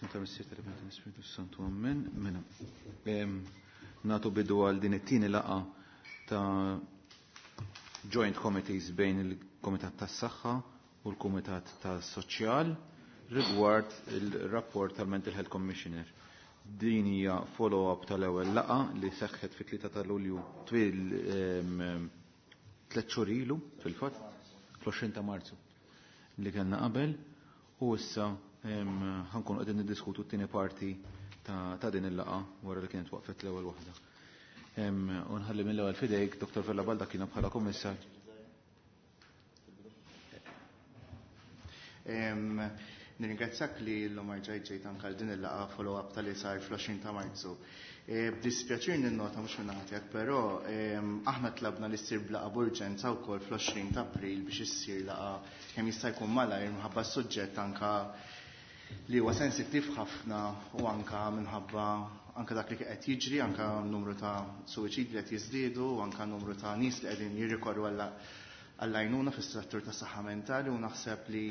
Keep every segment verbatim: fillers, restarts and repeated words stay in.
Santa Missier tal-Ispiritu Santu, Amen. Mela, nagħtu bidu għal din it-tieni laqgħa ta' Joint Committees bejn il-Komitat tas-Saħħa u l-Kumitat tas-Soċjal rigward il-rapport tal-Mental Health Commissioner. Din hija follow-up tal-ewwel laqgħa li seħħet fit-tlieta ta' Lulju twil tliet xhur ilu fil-fatt, fl-għoxrin ta' Marzu li kellna qabel, u issa ħa nkunu qegħdin niddiskutu t-tieni parti ta' din il-laqgħa wara li kienet waqfet l-ewwel waħda. U nħalli mill-ewwel fidejk Dottor Vella Baldacchino bħala kummissar. Nirringrazzjak li llum rġajt ġejt anke għal din il-laqgħa follow-up tal-li sar fl-għoxrin ta' Marzu. B'dispjaċir ninnota mhux minn naħa tiegħek, però aħna tlabna li ssir b'laqgħa b'urġenza wkoll fl-għoxrin ta' April biex issir laqgħa kemm jista' jkun malajr minħabba s-suġġett anke li huwa sensittiv ħafna u anke minħabba anke dak li qed jiġri, anke numru ta' suwiċidi li qed jiżdiedu u anke numru ta' nies li qegħdin jirrikorru għall-għajnuna fis-settur tas-saħħa mentali, u naħseb li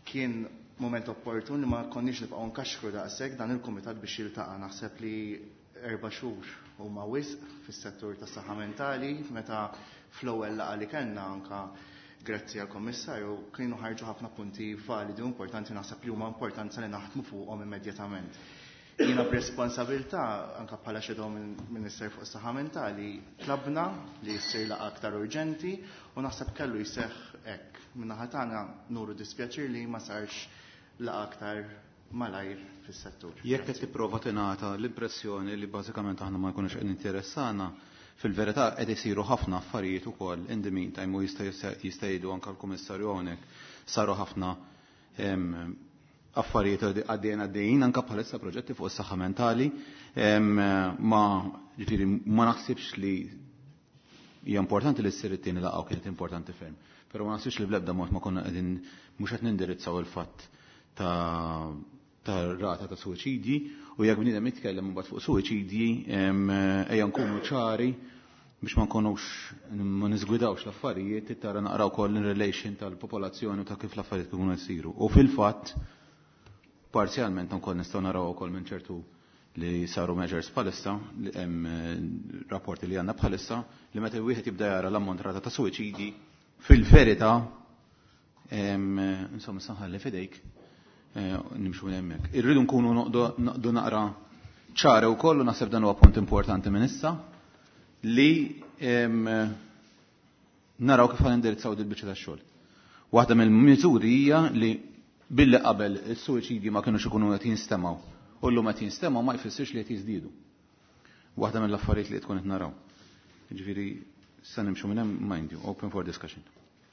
kien moment opportun li ma konniex nibqgħu nkaxkru daqshekk dan il-kumitat biex jiltaqa'. Naħseb li erba' xhur huma wisq fis-settur tas-saħħa mentali, meta fl-ewwel laqgħa li kellna anke grazzi għall-Kommissarju kienu ħarġu ħafna punti validi u importanti, naħseb li huma importanza li naħdmu fuqhom immedjatament. Jiena b'responsabilità anke bħala shadow minister fuq is-saħħa mentali tlabna li jsir laqgħa aktar urġenti u naħseb kellu jseħħ hekk. Min-naħa tagħna nuru dispjaċir li ma sarx laqgħa aktar malajr fis-settur. Jekk qed tipprova tingħata l-impressjoni li bażikament aħna ma nkunux qed interessana, fil-verità qed isiru ħafna affarijiet ukoll in the meantime, u jista' jista' jgħidu anke l-Kummissarju hawnhekk saru ħafna affarijiet għaddejjin għaddejjin anke bħalissa proġetti fuq is-saħħa mentali, ma ġifieri ma naħsibx li hija importanti li ssir it-tieni laqgħa u kienet importanti ferm. Però ma naħsibx li bl-ebda mod ma konna qegħdin mhux qed nindirizzaw il-fatt ta' ta' rata ta' suwiċidji, u jekk bniedem jitkellem imbagħad fuq suwiċidji, ejja nkunu ċari biex ma nkunux ma niżgwidawx l-affarijiet, tara naqraw ukoll in relation tal-popolazzjoni u ta' kif l-affarijiet ikunu jsiru. U fil-fatt parzjalment ukoll nistgħu naraw ukoll minn ċertu li saru measures bħalissa, li hemm rapporti li għandna bħalissa, li meta wieħed jibda jara l-ammont rata ta' suwiċidji, fil-verità, insomma, saħħalli fidejk, nimxu minn hemmhekk. Irridu nkunu noqogħdu naqra ċara wkoll, u naħseb dan huwa punt importanti minn issa, li naraw kif ħanindirizzaw dil-biċċa tax-xogħol. Waħda mill-miżuri hija li billi qabel is-suwiċidji ma kinux ikunu qed jinstemgħu, u llum qed jinstemgħu ma jfissirx li qed jiżdiedu. Waħda mill-affarijiet li tkun qed naraw. Jiġifieri se nimxu minn hemm, mind you, open for discussion.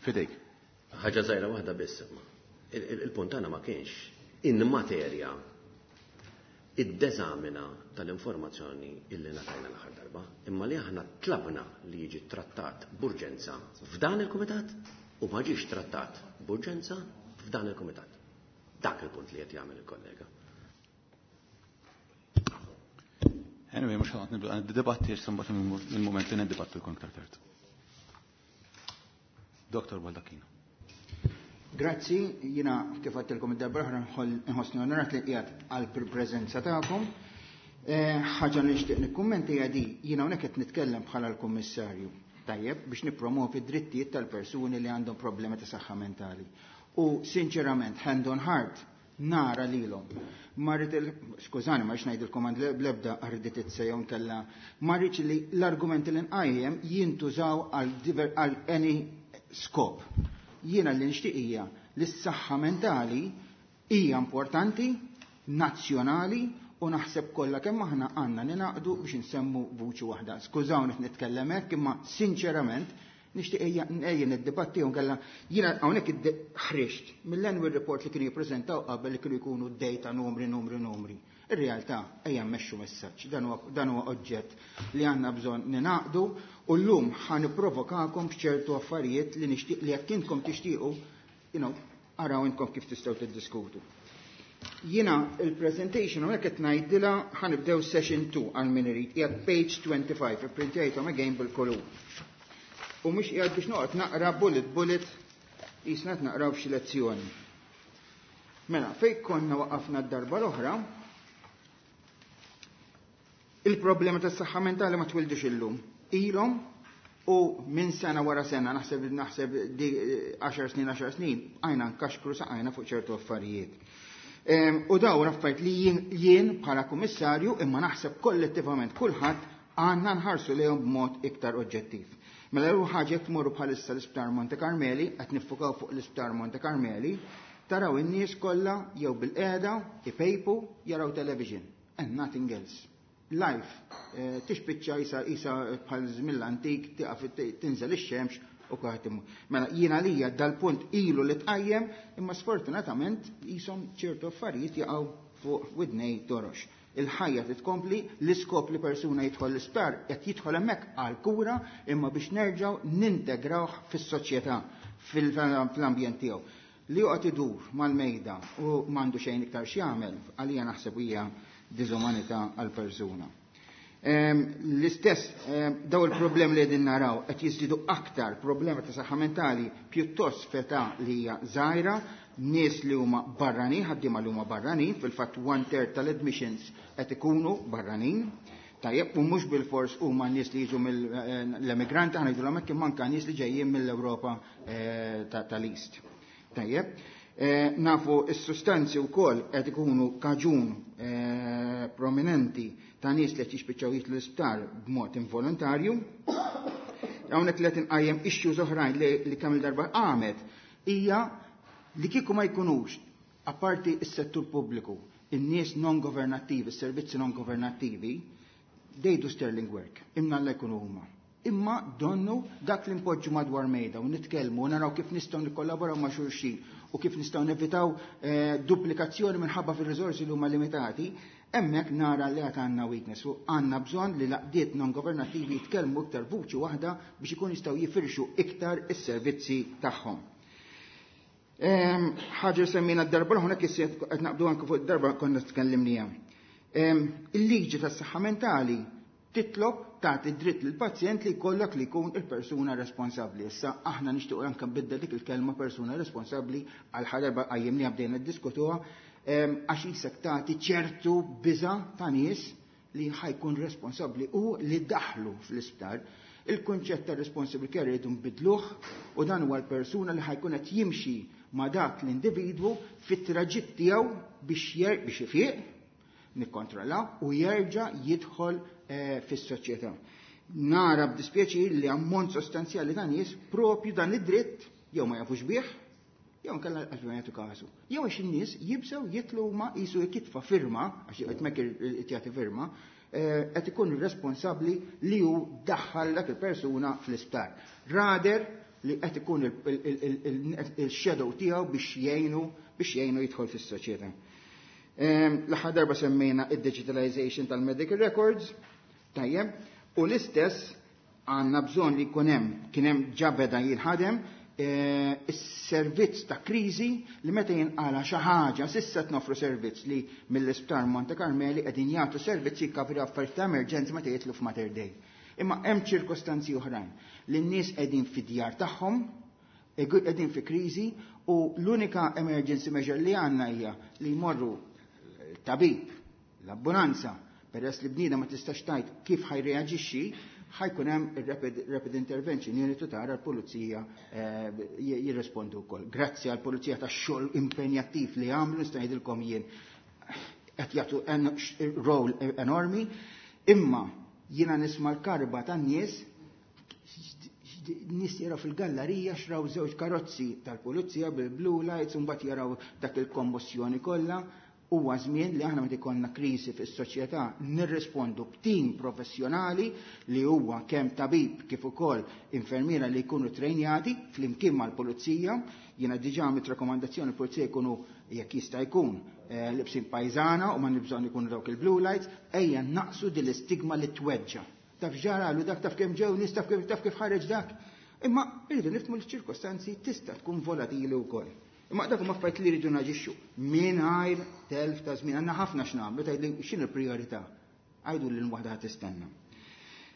Fidejk. Ħaġa żgħira waħda biss imma. Il-punt tagħna ma kienx in materja id-deżamina tal-informazzjoni illi ngħatajna l-aħħar darba, imma li aħna tlabna li jiġi trattat b'urġenza f'dan il-kumitat u ma ġiex trattat b'urġenza f'dan il-kumitat. Dak il-punt li qed jagħmel il-kollega. Anyway, mhux ħanqod nibda nid-dibatti għax imbagħad il-mument li niddibattu jkun iktar tard. Doktor Baldacchino. Grazzi, jiena kif għedtilkom id-darba l-oħra nħossni onorat li qiegħed għal preżenza tagħkom. Ħaġa li nixtieq nikkummenti hija di, jiena hawnhekk qed nitkellem bħala l-Kummissarju, tajjeb, biex nippromovi d-drittijiet tal-persuni li għandhom problemi ta' saħħa mentali. U sinċerament, hand on heart, nara lilhom. Ma rrid il-, skużani, ma rridx ngħidilkom għand bl-ebda arditizza jew nkella, ma rridx li l-argumenti li nqajjem jintużaw għal any skop. Jiena li nixtieq hija li s-saħħa mentali hija importanti, nazzjonali, u naħseb kollha kemm aħna għandna ninaqdu biex nsemmu vuċi waħda. Skużawni qed nitkellem hekk, imma sinċerament nixtieq ejja ejja niddibatti u nkella jiena hawnhekk ħriġt mill-annual report li kienu jippreżentaw qabel li kienu jkunu data numri, numri, numri. Ir-realtà ejja mmexxu messaġġ, dan huwa oġġett li għandna bżonn ninaqdu, u llum ħa nipprovokakom b'ċertu affarijiet li nixtieq li jekk intkom tixtiequ, you know, araw intkom kif tistgħu tiddiskutu. Jiena il-presentation hawnhekk qed ngħidilha ħanibdew session two għal min irid, qiegħed page twenty-five, ipprintjajthom again bil-kolur. U mhux qiegħed biex noqgħod naqra bullet bullet, qisna qed naqraw f'xi lezzjoni. Mela, fejn konna waqafna d-darba l-oħra, il-problema tas-saħħa mentali ma twildux illum. Ilhom u minn sena wara sena, naħseb naħseb għaxar snin, għaxar snin, għajna nkaxkru saqajna fuq ċertu affarijiet. U dawn affarijiet li jien bħala kummissarju imma naħseb kollettivament kulħadd għandna nħarsu lejhom b'mod iktar oġġettiv. Mela l ħaġa jekk tmorru bħalissa l-Isptar Monte Carmeli, qed niffukaw fuq l-Isptar Monte Carmeli, taraw in-nies kollha jew bil-qiegħda ipejpu jaraw television and nothing else. Life eh, tixpiċċa isa isa bħal żmien l-antik tiqaf tinżel ix-xemx u kulħadd imur. Mela jiena lija dal-punt ilu li tqajjem imma sfortunatament qishom ċertu affarijiet jaqgħu fuq widnej torox. Il-ħajja titkompli, l-iskop li persuna jidħol l-isptar qed jidħol hemmhekk għal kura imma biex nerġgħu nintegrawh fis-soċjetà fil-ambjent tiegħu. Li joqgħod idur mal-mejda u m'għandu xejn iktar x'jagħmel, għalija naħseb hija diżumanità għal persuna. L-istess daw il-problem li qegħdin naraw qed jiżdiedu aktar problema ta' saħħa mentali pjuttost f'età li hija żgħira, nies li huma barranin, ħaddiema li huma barranin, fil-fatt one third tal-admissions qed ikunu barranin. Tajjeb, u mhux bil-fors huma nies li jiġu mill-emigranti, aħna ngħidulhom hekk imma anke nies li ġejjin mill-Ewropa tal-East. Tajjeb, nafu s-sustanzi wkoll qed ikunu kaġun prominenti ta' nies li qed jispiċċaw jitlu l-isptar b'mod involontarju. Hawnhekk li qed inqajjem issues oħrajn li kemm il-darba qamet hija li kieku ma jkunux apparti s-settur pubbliku, in-nies non-governattivi, s-servizzi non-governattivi, they do sterling work, imma la jkunu huma. Imma donnu dak li npoġġu madwar mejda u nitkellmu u naraw kif nistgħu nikkollaboraw ma' xulxin u kif nistgħu nevitaw eh, duplikazzjoni minħabba fir-riżorsi li huma limitati, hemmhekk nara li għad għandna weakness u għandna bżonn li l-għaqdiet non-governattivi jitkellmu iktar vuċi waħda biex ikun jistgħu jifirxu iktar is-servizzi tagħhom. Ħaġa semmina d-darba l-ħuna qed naqbdu anke fuq id-darba konna tkellimnija. Il-liġi tas-saħħa mentali titlob tagħti dritt lill pazjent li jkollok li jkun il-persuna responsabbli. Issa aħna nixtiequ anke nbiddel dik il-kelma persuna responsabbli għal ħadarba qajjimniha bdejna ddiskutuha għax isek tagħti ċertu biża ta' nies li ħajkun responsabbli u li daħlu fl-isptar. Il-kunċett ta' responsible care rridu nbidluh u dan huwa l-persuna li ħajkun qed jimxi ma' dak l-individwu fit-traġitt tiegħu biex biex ifiq, nikkontrollaw u jerġa' jidħol fis-soċjetà. Nara b'dispjaċir li ammont sostanzjali ta' nies propju dan id-dritt jew ma jafux bih, jew nkella għax ma jagħtu kasu. Jew għax in-nies jibsew jitlu ma qisu jekk firma, għax qed mek jagħti firma, qed ikun responsabbli li hu daħħal dak il-persuna fl-isptar. Rather li qed ikun il-shadow tiegħu biex jgħinu biex jgħinu jidħol fis-soċjetà. L-aħħar darba semmejna id-digitalization tal-medical records, tajjeb, u l-istess għandna bżonn li jkun hemm kien hemm ġabeda jinħadem is-servizz ta' kriżi li meta jinqala xi ħaġa s'issa nofru servizz li mill-Isptar Monte Carmeli qegħdin jagħtu servizzi jkopri affarijiet ta' emerġenza meta jitlu f'Mater Dei. Imma hemm ċirkostanzi oħrajn li n-nies qegħdin fid-djar tagħhom, qegħdin fi kriżi u l-unika emergency measure li għandna hija li jmorru tabib, l-ambulanza, peress li bniedem ma tistax tgħid kif ħajreaġixxi, ħajkun hemm ir-rapid rapid intervention unit u tara l-pulizija jirrispondu wkoll. Grazzi għall-pulizija tax-xogħol impenjattiv li għamlu nista' ngħidilkom jien qed jagħtu role enormi, imma jiena nisma' l-karba tan-nies nies jaraw fil-gallerija xraw żewġ karozzi tal-pulizija bil-blue lights u mbagħad jaraw dak il-kommossjoni kollha. Huwa żmien li aħna meta jkollna kriżi fis-soċjetà nirrispondu b'tim professjonali li huwa kemm tabib kif ukoll infermiera li jkunu trejnjati flimkien mal-pulizija. Jiena diġà għamilt rakkomandazzjoni l-pulizija jkunu jekk jista' jkun libsin pajżana u ma nibżonn ikunu dawk il-blue lights, ejja naqsu din l-istigma li tweġġa. Taf ġaralu dak, taf kemm ġew nies, taf kif taf kif ħareġ dak. Imma rridu nifhmu l-ċirkostanzi tista' tkun volatili wkoll. Imma dak huma affarijiet li rridu naġixxu mingħajr telf ta' żmien. Għandna ħafna x'nagħmlu, tgħidli x'inhu l-prijorità? Għajdu lil waħda ħadd tistenna.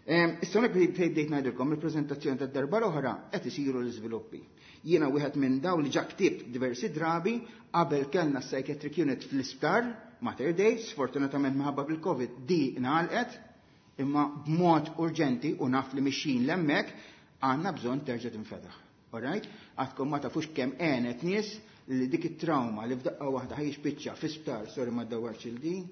Issa hawnhekk fejn bdejt ngħidilkom il-preżentazzjoni tad-darba l-oħra qed isiru l-iżviluppi. Jiena wieħed minn dawn li ġa ktibt diversi drabi qabel kellna psychiatric unit fl-isptar Mater Dei, sfortunatament minħabba bil-Covid di ngħalqet, imma b'mod urġenti u naf li mixjin l'hemmhekk għandna bżonn terġa' tinfetaħ. Alright? Għadkom ma tafux kemm għenet nies li dik it-trauma li f'daqqa waħda ħa jispiċċa fi-sptar, sorry ma dawwarx il-din,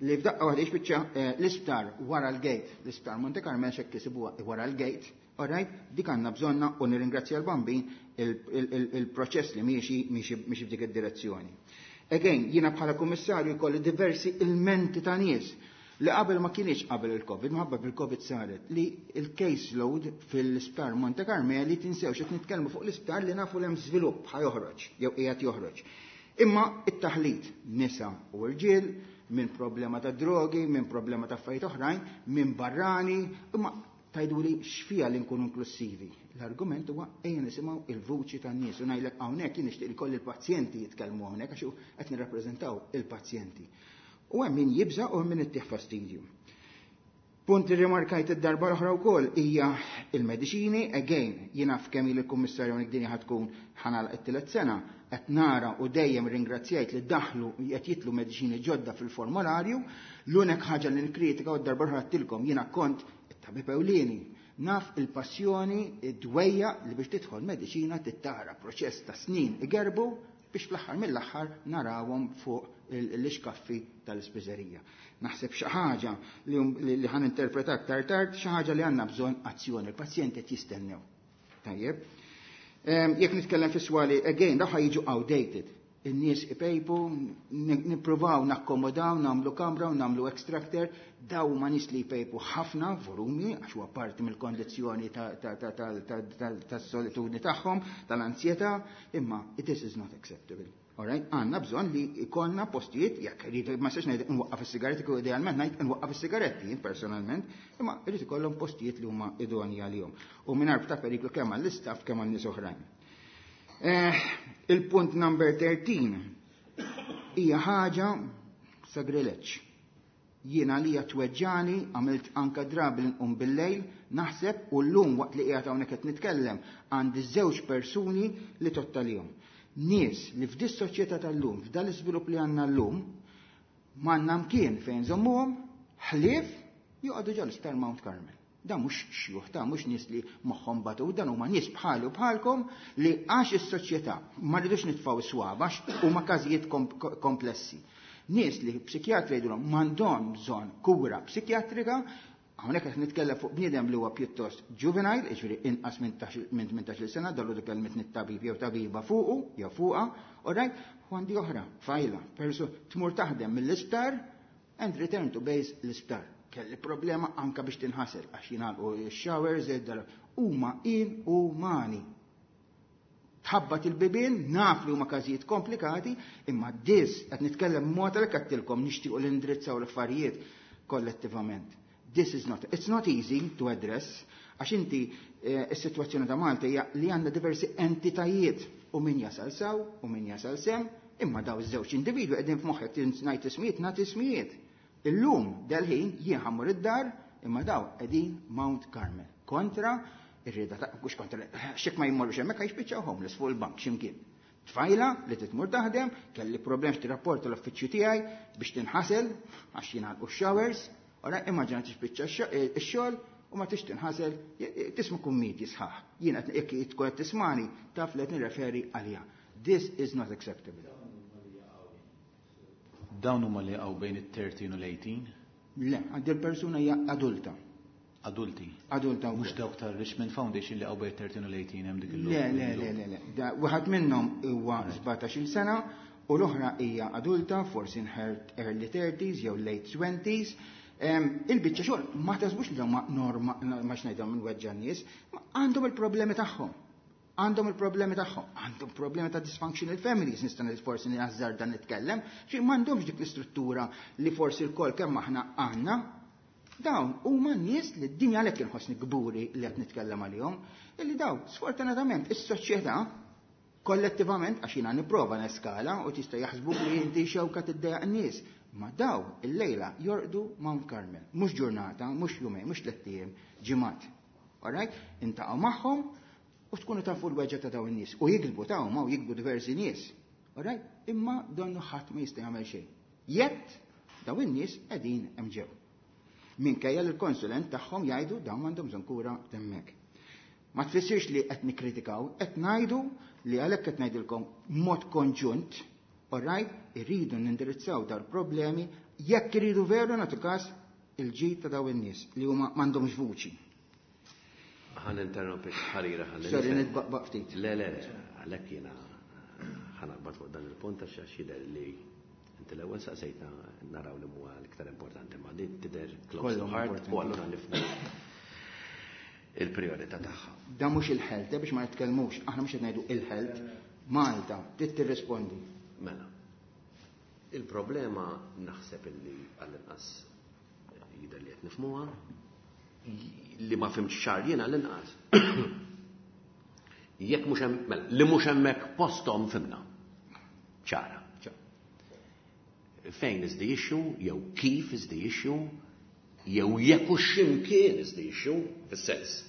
li f'daqqa waħda jispiċċa eh, l-isptar wara l-gate, l-isptar Monte Carmel xekk isibuha wara l-gate, alright? Dik għandna bżonna u nirringrazzja l-Bambin il-proċess li miexi miexi f'dik id-direzzjoni. Again, jiena bħala kummissarju jkolli diversi ilmenti ta' nies li qabel ma kienx qabel il-Covid, minħabba bil-Covid saret li il-case load fil-isptar Monte Carmeli, tinsewx qed nitkellmu fuq l-isptar li nafu l-hemm żvilupp ħa joħroġ jew qiegħed joħroġ. Imma it-taħlit nisa u rġiel minn problema ta' drogi, minn problema ta' affarijiet oħrajn, minn barrani, imma tajdu li xfija li nkunu inklusivi. L-argument huwa ejja nisimgħu il-vuċi tan-nies u ngħidlek hawnhekk jien nixtieq li kolli l-pazjenti jitkellmu hawnhekk għax qed nirrappreżentaw il-pazjenti. U hemm min jibża u hemm min ittih fastidju. Punt li rimarkajt id-darba l-oħra wkoll hija il-mediċini, again, jiena f'kemm il-kummissarju hawnhekk din tkun ħa nagħlaq it-tielet sena, qed nara u dejjem ringrazzjajt li daħlu qed jitlu mediċini ġodda fil-formularju, l-unika ħaġa li nkritika u d-darba l-oħra għedtilkom jiena kont it-tabib ewlieni. Naf il-passjoni, id-dwejja li biex tidħol mediċina tittara proċess ta' snin igerbu biex fl-aħħar mill-aħħar narawhom fuq l-iskaffi tal-ispiżerija. Naħseb xi ħaġa li ħa ninterpreta aktar tard, xi ħaġa li għandna bżonn azzjoni, il-pazjenti qed jistennew. Tajjeb. Jekk nitkellem fis-swali, again, daw jiġu outdated. In-nies ipejpu, nippruvaw nakkomodaw, nagħmlu kamra u nagħmlu extractor, daw ma nies li jpejpu ħafna volumi, għax huwa parti mill-kondizzjoni tas-solitudni tagħhom, tal-ansjetà, imma this is not acceptable. Alright, għandna bżonn li ikollna postijiet, jekk rrid ma sax ngħid nwaqqaf is-sigaretti, kieku idealment ngħid nwaqqaf is-sigaretti jien personalment, imma rrid ikollhom postijiet li huma idonji għalihom. U mingħajr ta' periklu kemm għall-istaff kemm għal nies oħrajn. Eh, il-punt number thirteen hija ħaġa sagrileġġ. Jiena li tweġġani, għamilt anka drabi nqum bil-lejl, naħseb u llum waqt li qiegħed hawnhekk qed nitkellem għandi żewġ persuni li tottalihom. Nies li f'dis soċjetà tal-lum, f'dal iżvilupp li għandna llum, m'għandna mkien fejn żommuhom, ħlief joqogħdu ġol isptar Mount Carmel. Da mhux xjuħ, da mhux nies li moħħhom batu, dan huma nies bħali u bħalkom li għax is-soċjetà ma rridux nitfgħu swaba huma każijiet komplessi. Nies li psikjatri jgħidulhom m'għandhom bżonn kura psikjatrika, hawnhekk qed nitkellem fuq bniedem li huwa pjuttost juvenile, jiġifieri inqas minn tmintax-il sena, dallu kelmet tabib jew tabiba fuqu jew fuqha, alright, u għandi oħra, tfajla, persu tmur taħdem mill-isptar and return to base l-isptar. Kelli problema anka biex tinħasel għax jingħalqu x-showers, huma inumani. Tħabbat il-bibien, naf li huma każijiet komplikati, imma dis qed nitkellem mod għalhekk għedtilkom nixtiequ li ndrizzaw l-affarijiet kollettivament. This is not, it's not easy to address, għax inti eh, is-sitwazzjoni ta' Malta hija li għandna diversi entitajiet u min jasal saw u min jasal sem, imma daw iż-żewġ individwi qegħdin f'moħħek ngħid ismijiet nagħti ismijiet. Illum dal-ħin jien ħa mmur id-dar imma daw qegħdin Mount Carmel kontra ir-rieda ta' mhux kontra xek ma jmorrux hemmhekk jispiċċaw homeless fuq il-bank x'imkien. Tfajla li titmur taħdem, kelli problem tirrapporta l-uffiċċju tiegħi biex tinħasel għax jingħalqu showers, ora immaġina tispiċċa x-xogħol u ma tix tinħasel, tisma' kummidji sħaħ. Jiena jekk tkun qed tismani taf li qed nirreferi għaliha. This is not acceptable. Dawn huma li jaqgħu bejn it-thirteen u l-eighteen? Le, għandi l-persuna hija adulta. Adulti. Adulta wkoll. Mhux dawk tar-Richmond Foundation li jaqgħu bejn it-thirteen u l-eighteen hemm dik il Le, le, le, le, le. Wieħed minnhom huwa sbatax-il sena u l-oħra hija adulta, forsi in her early thirties jew late twenties. Il-biċċa xogħol ma taħsbux li huma norma ma xngħidhom minn weġġa' nies, għandhom il-problemi tagħhom. Għandhom il-problemi tagħhom, għandhom problemi ta' dysfunctional families, nista' forsi nażżarda nitkellem, xi m'għandhomx dik l-istruttura li forsi l-kol kemm aħna għandna. Dawn huma nies li d-dinja għalhekk inħossni kburi li qed nitkellem għalihom, illi dawn sfortunatament is-soċjetà kollettivament għax jiena nipprova neskala u tista' jaħsbu li inti xewka tiddejjaq n-nies. Ma daw il-lejla jorqdu Mount Carmel. Mhux ġurnata, mhux jumejn, mhux tliet ijiem, ġimgħat. Alright? Iltaqgħu magħhom u tkunu tafu l-weġgħa ta' dawn in-nies. U jikdbu ta' u jikdbu diversi nies. Alright? Imma donnu ħadd ma jista' jagħmel xejn. Jett daw in-nies qegħdin hemm ġew. Minkejja li l-konsulent tagħhom jgħidu dawn għandhom bżonn kura hemmhekk. Ma tfissirx li qed nikkritikaw, qed ngħidu li għalhekk qed ngħidilkom mod konġunt, alright, irridu nindirizzaw dal-problemi jekk iridu veru nagħtu każ il-ġid ta' daw in-nies li huma m'għandhomx vuċi. Ħa ninterrompik ħarira ħalli. Sorry, nitbaqbaq ftit. Le, le, le, għalhekk jiena ħa naqbad fuq dan il-punt għax għax jidher li inti l-ewwel saqsejtna naraw li huwa l-iktar importanti ma din tidher close to heart u allura nifhmu il-priorità tagħha. Da mhux il-health, eh, biex ma nitkellmux, aħna mhux qed ngħidu il-health, Malta trid tirrispondi. Mela, il-problema naħseb illi għall-inqas jidher li qed nifhmuha, li ma fhimtx ċar jien għall-inqas. Jekk mhux hemm, mela, li mhux hemmhekk posthom fhimna. Ċara. Fejn is the issue, jew kif is the issue, jew jekk hux x'imkien is the issue, fis-sens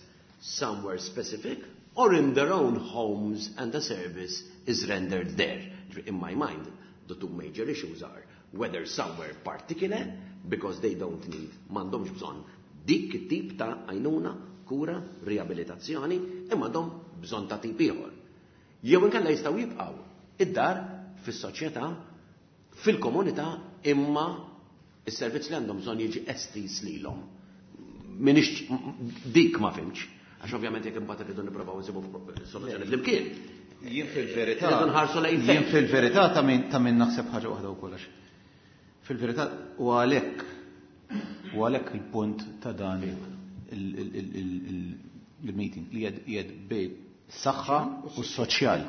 somewhere specific, or in their own homes and the service is rendered there. In my mind, the two major issues are whether somewhere particular, because they don't need, m'għandhomx bżonn dik it-tip ta' għajnuna, kura, riabilitazzjoni, imma għandhom bżonn ta' tip ieħor. Jew inkella jistgħu jibqgħu id-dar fis-soċjetà, fil-komunità, imma is-servizz li għandhom bżonn jiġi estiż lilhom. Minix dik ma fhimtx, għax ovvjament jekk imbagħad irridu nippruvaw nsibu soluzzjoni flimkien. Jien fil-verità. Irridu nħarsu lejn fejn. Jien fil-verità ta' min ta' min naħseb ħaġa waħda u kollox. Fil-verità u għalhekk u għalhekk il-punt ta' dan il-meeting li jgħid bejn saħħa u soċjal.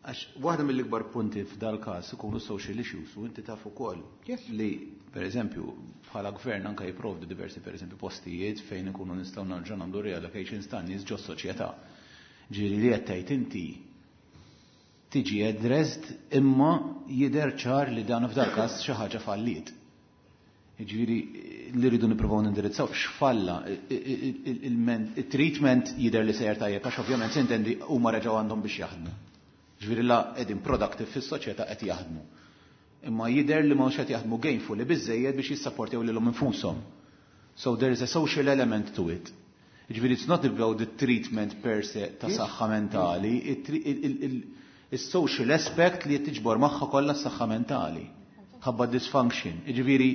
Għax waħda mill-ikbar punti f'dal każ ikunu social issues u inti taf ukoll li per eżempju bħala gvern anka jipprovdu diversi per eżempju postijiet fejn ikunu nistgħu nerġgħu nagħmlu reallocations ta' nies ġo soċjetà. Ġieli li qed tgħid inti tiġi addressed imma jidher ċar li dan f'dal każ xi ħaġa falliet. Ġifieri li rridu nippruvaw nindirizzaw x'falla il-treatment jidher li sejjer tajjeb għax ovvjament sintendi huma reġgħu għandhom biex jaħdmu. Ġifieri la qegħdin productive fis-soċjetà qed jaħdmu. Imma jidher li mhux qed jaħdmu gainfully biżejjed biex jissapportjaw lilhom infushom. So there is a social element to it. Ġifieri it's not about the treatment per se ta' saħħa mentali, il-social aspect li tiġbor magħha kollha s-saħħa mentali. Ħabba dysfunction. Ġifieri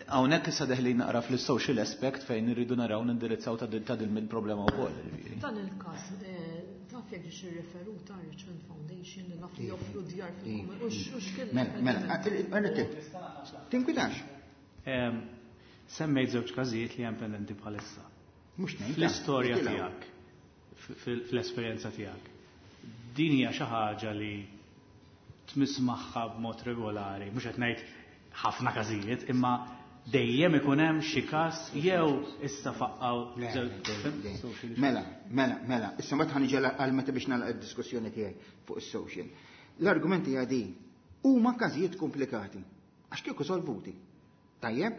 hawnhekk issa deħlin naqra fl-social aspect fejn irridu naraw nindirizzaw ta' din il-problema wkoll. Ġifieri. Dan il-każ, eh, taf jekk ġiex irreferuta Richmond Foundation li naf li joffru djar fil-komunità. U x'kien Mela, mela, għarret, tinkwitax. Em, Semmejt żewġ każijiet li hemm pendenti bħalissa. Mhux ngħid. Fl-istorja Itilgħu. tiegħek, fil- fl-esperjenza tiegħek, din hija xi ħaġa li tmiss magħha b'mod regolari, mhux qed ngħid ħafna każijiet, imma dejjem ikun hemm xi każ jew issa faqqaw Le, żewġ- le, le. Mela, mela, mela, issa mbagħad ħa niġi għal meta biex nagħlaq id-diskussjoni tiegħi fuq is-social. L-argumenti hija di huma każijiet komplikati għax kieku solvuti. Tajjeb,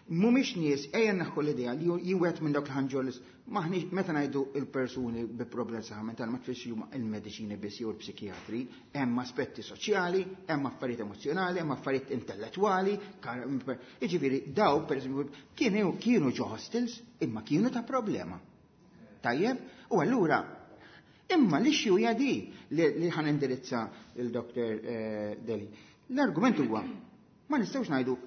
mhumiex nies ejja naħħu l-idea li jien minn dawk il-ħanġolis maħniex meta ngħidu il-persuni bi problemi saħħa mentali ma tfissirx huma il-mediċini biss jew il-psikjatri, hemm aspetti soċjali, hemm affarijiet emozzjonali, hemm affarijiet intellettwali, kar- jiġifieri daw pereżempju kienu kienu ġo hostels imma kienu ta' problema. Tajjeb, u allura imma l-issue hija di li, li ħa nindirizza il-Dr. eh, Deli. L-argument huwa ma nistgħux ngħidu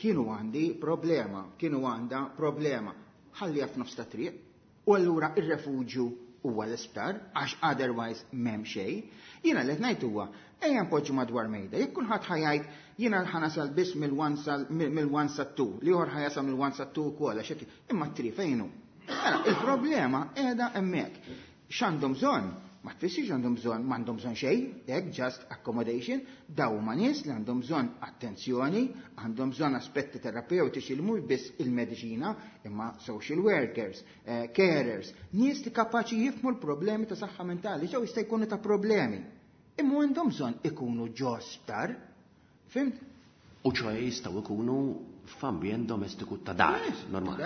kienu għandi problema, kienu għandha problema. Ħalli f'nofs ta' triq. U allura ir-refuġju huwa l-isptar, għax otherwise m'hemm xejn. Jiena li qed ngħid huwa ejja npoġġu madwar mejda. Jekk kulħadd ħa jgħid jiena ħa nasal biss mill-one sal mill-one sa two, l-ieħor ħa jasal mill-one sa two ukoll għax hekk imma t-three fejn hu. Mela, il-problema qiegħda hemmhekk. X'għandhom bżonn? Ma tfissirx għandhom bżonn, m'għandhom bżonn xejn, hekk just accommodation, daw huma nies li għandhom bżonn attenzjoni, għandhom bżonn aspetti terapeutiċi li mhux biss il-mediċina, imma social workers, eh, carers, nies li kapaċi jifhmu l-problemi ta' saħħa mentali, ġew jista' jkunu ta' problemi. Imma għandhom bżonn ikunu ġo sptar. Fhimt? U ċoħe jistgħu jkunu f'ambjent domestiku ta' dar, normali.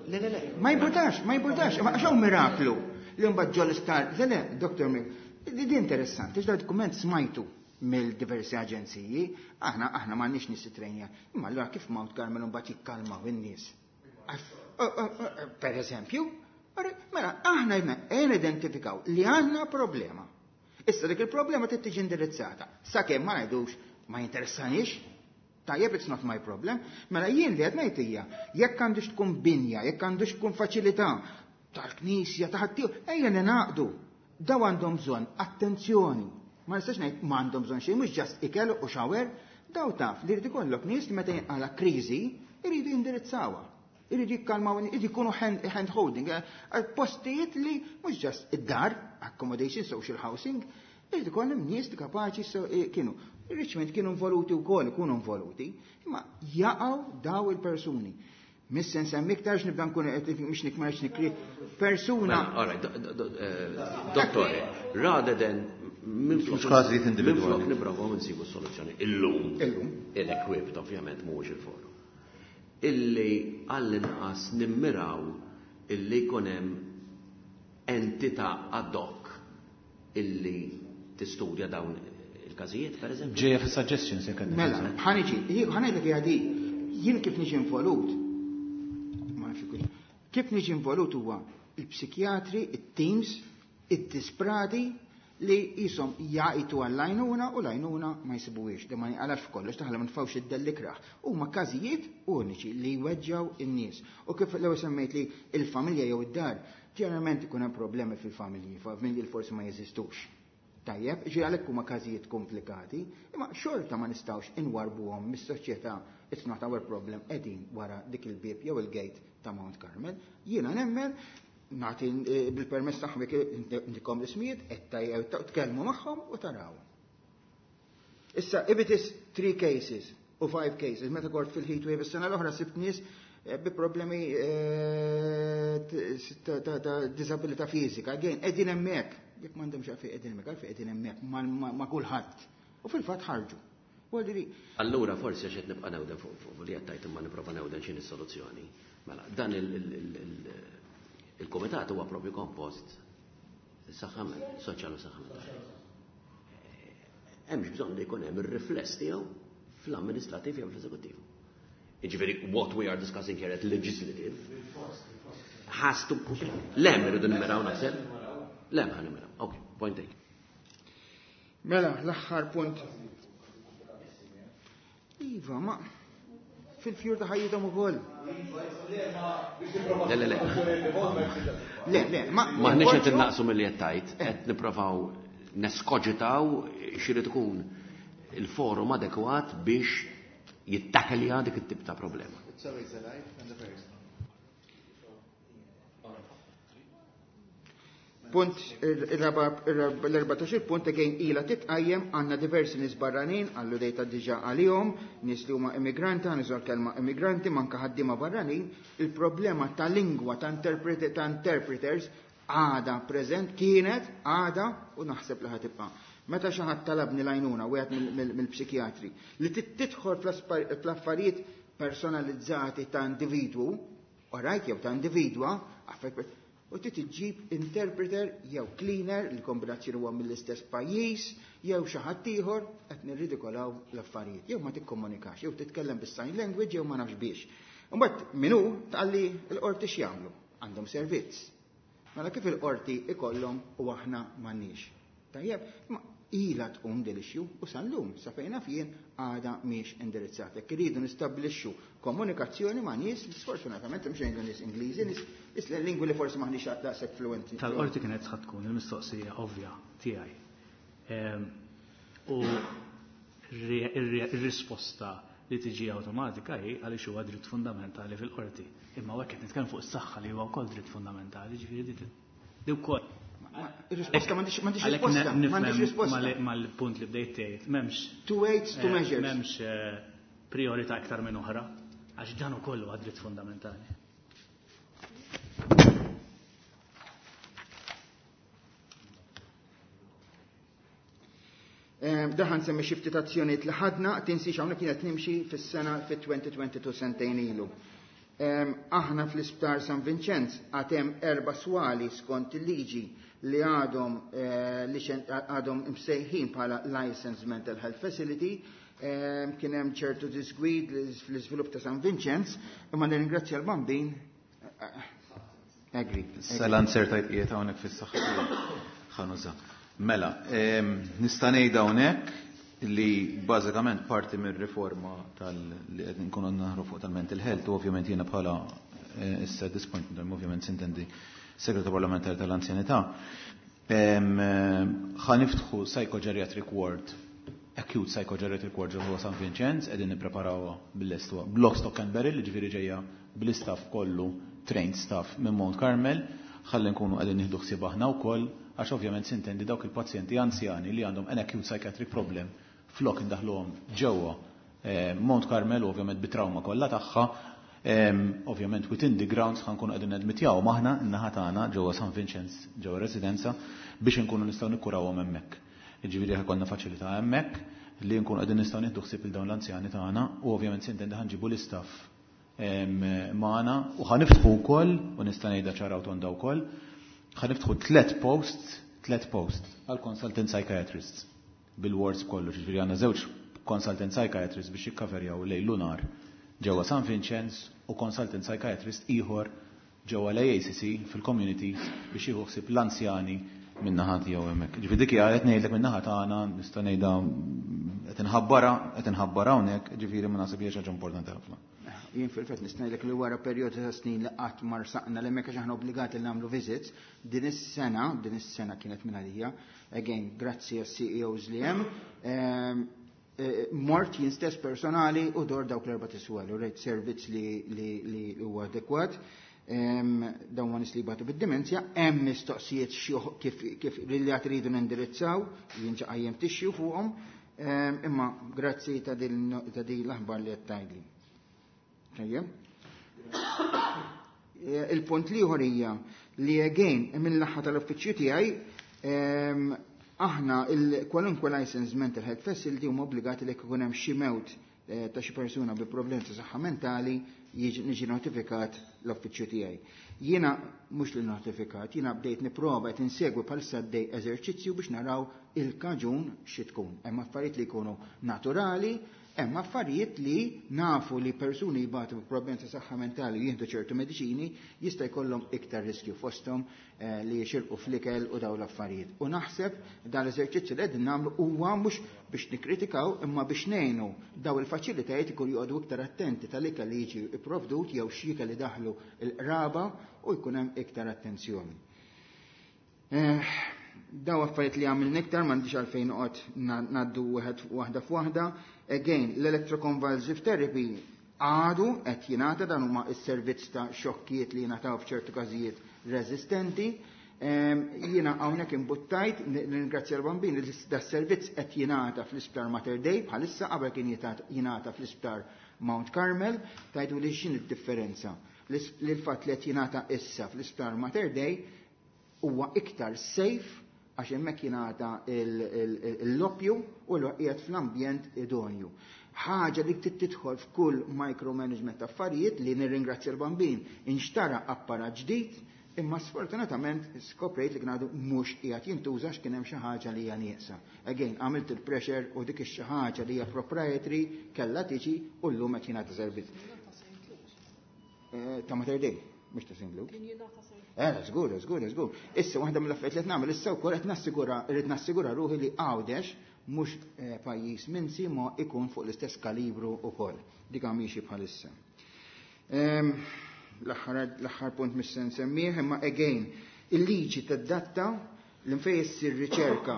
Le, le, le. Ma jimpurtax, ma jimpurtax, għax hawn miraklu li mbagħad ġol isptar. Le, le, Doktor Mik, di interessanti, x'da dokument smajtu mill-diversi aġenziji, aħna aħna m'għandniex nies trejnja. Imma allura kif Mount Carmel mbagħad jikkalmaw in-nies? Per eżempju, mela aħna ejja identifikaw li għandna problema. Issa dik il-problema trid tiġi indirizzata. Sakemm ma ngħidux ma jinteressanix, tajjeb, it's not my problem, mela jien li qed ngħid hija jekk għandux tkun binja, jekk għandux tkun faċilità tal-knisja ta' ħaddieħor, ejja ninaqdu. Daw għandhom bżonn attenzjoni. Ma nistax ngħid ma għandhom bżonn xejn, mhux just ikel u shower, daw taf li jrid ikollok nies li meta jinqala kriżi jridu jindirizzawha. Iridu jikkalmaw, iridu jkunu hand holding, postijiet li mhux just id-dar, accommodation, social housing, irid ikollhom nies li kapaċi kienu. Richmond kienu involuti wkoll, ikunu involuti, imma jaqgħu daw il-persuni. Miss nsemmi iktar nibda nkun qed mhux nikmarx nikri persuna. All right, dottore, rather than minflok każijiet individwali. Minflok nipprovaw nsibu soluzzjoni illum. Illum. Il-equipped ovvjament mhuwiex il-forum. Illi għall-inqas nimmiraw illi jkun hemm entità ad hoc illi tistudja dawn il-każijiet, per eżempju. Ġejja fis-suggestions jekk għandek. Mela, ħa niġi, ħa ngħidlek hija di, jien kif niġi involut, ma nafx ikun, kif niġi involut huwa il-psikjatri, it-teams, id-disprati li jisom jgħajtu għall-għajnuna u l-għajnuna ma jsibuhiex, li ma jinqalax f'kollox, taħla ma nfawx id-dellikraħ. Huma każijiet uniċi li jweġġaw in-nies. U kif l-ewwel semmejt li il-familja jew id-dar, ġeneralment ikun hemm problemi fil-familji, familji li forsi ma jeżistux. Tajjeb, ġi għalhekk huma każijiet komplikati, imma xorta ma nistgħux inwarbuhom mis-soċjetà, it's not our problem, qegħdin wara dik il-bieb jew il-gate ta' Mount Carmel. Jiena nemmen nagħti bil-permess tagħhom jekk intikom l-ismijiet, qed tajjew tkellmu magħhom u taraw. Issa, if it is three cases u five cases, meta kort fil-heat wave is-sena l-oħra sibt nies bi problemi ta' disabilità fiżika. Again, qegħdin hemmhekk. Jekk m'għandhomx għalfejn qegħdin hemmhekk, għalfejn qegħdin hemmhekk ma' kulħadd. U fil-fatt ħarġu. Allura forsi għax qed nibqa' newden fuq li qed tgħid imma nipprova newden x'inhi s-soluzzjoni. Mela, dan il-kumitat huwa propju kompost saħħa soċjali u saħħa mentali. Hemmx bżonn li jkun hemm ir-rifless tiegħu fl-amministrativ jew fl-eżekuttiv. Jiġifieri what we are discussing here at legislative has to lem irridu nimmiraw naħseb. Lem ħa nimmiraw. Okay, point taken. Mela, l-aħħar punt. Iva, ma fil-fjur ta' ħajjithom ukoll. Le, le, le. Le, le, ma M'aħniex qed innaqsu milli qed tgħid, qed nipprovaw neskoġitaw x'irid ikun il-forum adekwat biex jittakelja dik it-tip ta' problema. It's always alive and the first. Punt l-erbatax punt again ila titqajjem għandna diversi nies barranin għallu dejta diġà għalihom, nies li huma immigranti, ħa kelma immigranti, manka ħaddiema barranin, il-problema ta' lingwa ta' interpreti ta' interpreters għada preżent kienet għada u naħseb li ħatibqa'. Meta xi ħadd talabni l-għajnuna wieħed mill-psikjatri li tidħol fl-affarijiet personalizzati ta' individwu, orajt jew ta' individwa, u trid iġġib interpreter jew cleaner li kombinazzjoni huwa mill-istess pajjiż jew xi ħadd ieħor qed nirridikolaw l-affarijiet. Jew ma tikkomunikax, jew titkellem bis-sign language jew ma nafx biex. Imbagħad min hu tqalli l-qorti x'jagħmlu? Għandhom servizz. Mela kif il-qorti ikollhom u aħna m'għandniex. Tajjeb, ma ila tqum din l-issue u sal-lum sa fejn naf jien għada mhix indirizzata. Jekk iridu nistabbilixxu komunikazzjoni ma' nies li sfortunatament mhux ngħidu nies Ingliżi, nies lingwi li forsi m'aħniex daqshekk fluenti. Tal-qorti kienet ħadd tkun il-mistoqsija ovvja tiegħi. U ir-risposta li tiġi awtomatika hi għaliex huwa dritt fundamentali fil-qorti. Imma hekk qed nitkellem fuq is-saħħa li huwa wkoll dritt fundamentali, ġifieri di wkoll. Ir-risposta m'għandix m'għandix risposta, m'għandix risposta. Mal-punt li bdejt tgħid, m'hemmx Two weights, two measures. M'hemmx priorità aktar minn oħra, għax dan ukoll huwa dritt fundamentali. Daħan semmi xi ftit azzjonijiet li ħadna, tinsiex hawnhekk kienet nimxi fis-sena fit-elfejn u tnejn u għoxrin, sentejn ilu. Aħna fl-Isptar San Vincenz għad hemm erba' swali skont il-liġi li għadhom eh, li għadhom imsejħin bħala Licensed Mental Health Facility. Kien hemm ċertu disgwid fl-iżvilupp ta' San Vincenz, imma nirringrazzja l-Bambin. Agree. Salan sertajt qiegħed hawnhekk fis-saħħa ħa nuża. Mela, nista' ngħid hawnhekk li bażikament parti mir-riforma tal li qed nkunu naħru fuq tal-mental health u ovvjament jiena bħala eh, issa this point in time ovvjament s'intendi segretarju parlamentari tal-anzjanità, ħa niftħu psychogeriatric ward, acute psychogeriatric ward ġewwa San Vincenz, qegħdin nippreparawha bil-lest block, stock and barrel, ġifieri ġejja bl-istaff kollu, trained staff minn Mount Carmel, ħalli nkunu qegħdin nieħdu ħsieb aħna wkoll, għax ovvjament s'intendi dawk il-pazjenti anzjani li għandhom an acute psychiatric problem, flok indaħluhom ġewwa eh, Mount Carmel, ovvjament bit-trauma kollha tagħha, ovvjament within the grounds ħa nkunu qegħdin nadmitjaw maħna n-naħa tagħna ġewwa San Vincenz, ġewwa residenza, biex nkunu nistgħu nikkurawhom hemmhekk. Ġifieri ħa jkollna faċilità hemmhekk li nkunu qegħdin nistgħu nieħdu ħsieb il dawn l-anzjani tagħna u ovvjament s'intendi ħa nġibu l-istaff magħna u ħa niftħu wkoll, u nista' ngħidha ċara u tonda wkoll, ħa niftħu tliet posts, tliet posts għal consultant psychiatrists bil-wards kollu, ġifieri għandna żewġ consultant psychiatrists biex jikkaverjaw lejl u nhar ġewwa San Vincenz u consultant psychiatrist ieħor ġewwa l-A C C fil-community biex jieħu ħsieb l-anzjani min-naħa tiegħu hemmhekk. Ġifieri dik hija qed ngħidlek min-naħa tagħna, nista' ngħidha, qed inħabbara, qed inħabbara hawnhekk, ġifieri ma naħseb hija xi ħaġa importanti ħafna. Jien fil-fatt nista' ngħidlek li wara perjodu ta' snin li qatt ma rsaqna li hemmhekk għax aħna obbligati li nagħmlu visits, din is-sena, din is-sena kienet minn għalija, again, grazzi għas-C E Os li hemm, ehm, eh, mort jien stess personali u dort dawk l-erba' tiswal u rejt servizz li li huwa adekwat. Ehm, dawn ma nies li jbatu bid-dimenzja, hemm mistoqsijiet kif kif li għad iridu nindirizzaw, jien qajjimt issue fuqhom, ehm, imma grazzi ta' din l-aħbar li qed tgħidli. Tajjeb. Eh, il-punt l-ieħor hija li again mill-naħa tal-uffiċċju tiegħi, ehm, aħna kwalunkwe licensed mental health facility huma obbligati li jkun hemm xi mewt eh, ta' xi persuna bi problemi ta' saħħa mentali, niġi notifikat l-uffiċċju tiegħi. Jiena mhux li notifikat, jiena bdejt nipprova, qed insegwi bħalissa dej eżerċizzju biex naraw il-kaġun xi tkun. Hemm affarijiet li jkunu naturali, hemm affarijiet li nafu li persuni jbatu problemi ta' saħħa mentali, jieħdu ċertu mediċini, jista' jkollhom iktar riskju, fosthom eh, li jixirqu fl-ikel u dawn l-affarijiet. U naħseb dan l-eżerċizzju li qegħdin nagħmlu huwa mhux biex nikkritikaw imma biex ngħinu daw il-faċilitajiet ikun joqogħdu iktar attenti tal-ikel li jiġi ipprovdut jew x'ikel li daħlu l-qraba u jkun hemm iktar attenzjoni. Eh, daw affarijiet li għamil iktar m'għandix għalfejn noqgħod ngħaddu wieħed waħda f'waħda. Again, l-electroconvulsive therapy għadu qed jingħata, dan huma s-servizz ta' xokkijiet li jingħataw f'ċertu każijiet resistenti. Jiena hawnhekk imbuttajt, ningrazzja l-Bambin, li da servizz qed jingħata fl-Isptar Mater Dei bħalissa, qabel kien jingħata fl-Isptar Mount Carmel. Tgħidu li x'in id-differenza? Li l-fatt li qed jingħata issa fl-Isptar Mater Dei huwa iktar safe għax hemmhekk jingħata l-oppju u l qiegħed fl-ambjent idonju. Ħaġa li tidħol f'kull micromanagement affarijiet li nirringrazzja l-Bambin, inxtara apparat ġdid, imma sfortunatament skoprejt li kien għadu mhux qiegħed jintuża x'kien hemm xi ħaġa li hija nieqsa. Again, għamilt il-pressure u dik ix-xi ħaġa li hija proprietary kellha tiġi u llum qed jingħata servizz. Eh, ta' Mater Dei, mhux ta' Saint Luke. Eh, żgur, żgur, żgur. Issa waħda mill-affarijiet li qed nagħmel issa wkoll, qed nassigura, irrid nassigura ruħi li Għawdex mhux eh, pajjiż minsi ma ikun fuq l-istess kalibru wkoll. Dik miexi bħalissa. Ehm, l-aħħar punt mhux se nsemmih, imma again, il-liġi tad-datta l-infej issir riċerka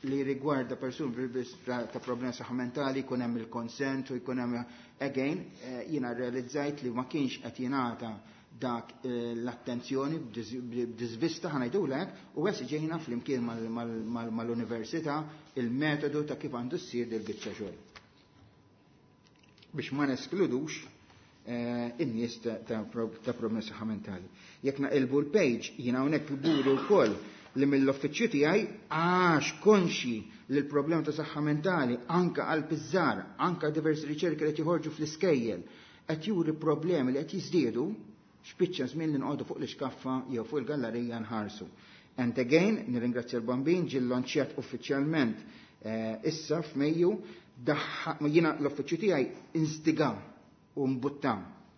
li rigwarda persuni ta' problemi saħħa mentali jkun hemm il-konsent u jkun hemm again, eh, jiena realizzajt li ma kienx qed jingħata dak eh, l-attenzjoni b'diżvista, ħa ngħidulek, u ġejna flimkien mal-università il-metodu ta' kif għandu ssir dil-biċċa xogħol. Biex ma neskludux eh, in-nies ta' problemi saħħa mentali. Jekk naqilbu l-page, jiena hawnhekk kburi wkoll li mill-uffiċċju tiegħi għax konxi li l-problema ta' saħħa mentali anka għal piżżar, anka diversi riċerki li qed joħorġu fl-iskejjel qed juri problemi li qed jiżdiedu, xpiċċa żmien li nqogħdu fuq l-iskaffa jew fuq il-gallerija nħarsu. And again, nirringrazzja l-Bambin, ġie lonċjat uffiċjalment issa f'Mejju, jiena l-uffiċċju tiegħi instiga u mbutta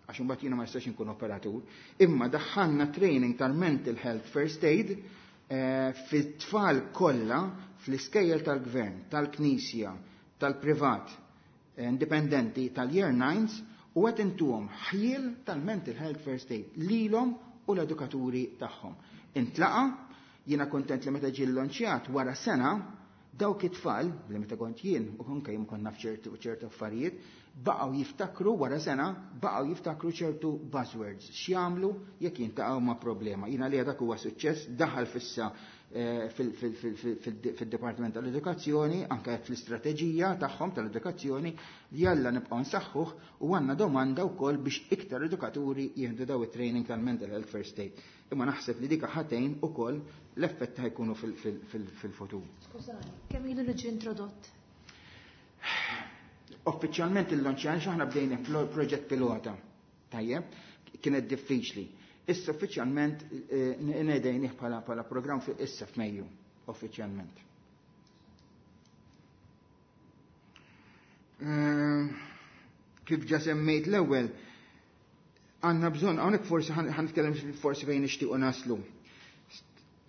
għax imbagħad jiena ma nistax inkun operatur, imma daħħalna training tal-mental health first aid fit-tfal kollha fl-iskejjel tal-gvern, tal-knisja, tal-privat, indipendenti tal-year nines u qed intuhom ħjiel tal-mental health first aid lilhom u l-edukaturi tagħhom. Intlaqa, jiena kontent li meta ġie lonċjat wara sena dawk it-tfal, li meta kont jien u konka jien kont naf ċertu ċertu affarijiet, baqgħu jiftakru wara sena, baqgħu jiftakru ċertu buzzwords, x'jagħmlu jekk jintaqgħu ma' problema. Jiena li dak huwa suċċess, daħal fissa fil-Dipartiment tal-Edukazzjoni, anke fl-istrateġija tagħhom tal-edukazzjoni, jalla nibqgħu nsaħħuh u għandna domanda wkoll biex iktar edukaturi jieħdu daw it-training tal-mental health first aid. Imma naħseb li dik ħatejn ukoll l-effett ħajkunu fil-futur. Skużani, kemm ilu li ġie introdott? Uffiċjalment il-lonċjan x'aħna bdejna proġett pilota. Tajjeb, kienet diffiċli. Issa uffiċjalment nedejnih bħala bħala programm fi issa f'Mejju, uffiċjalment. Kif ġa semmejt l-ewwel, għandna bżonn, hawnhekk forsi ħanitkellem forsi fejn nixtiequ naslu.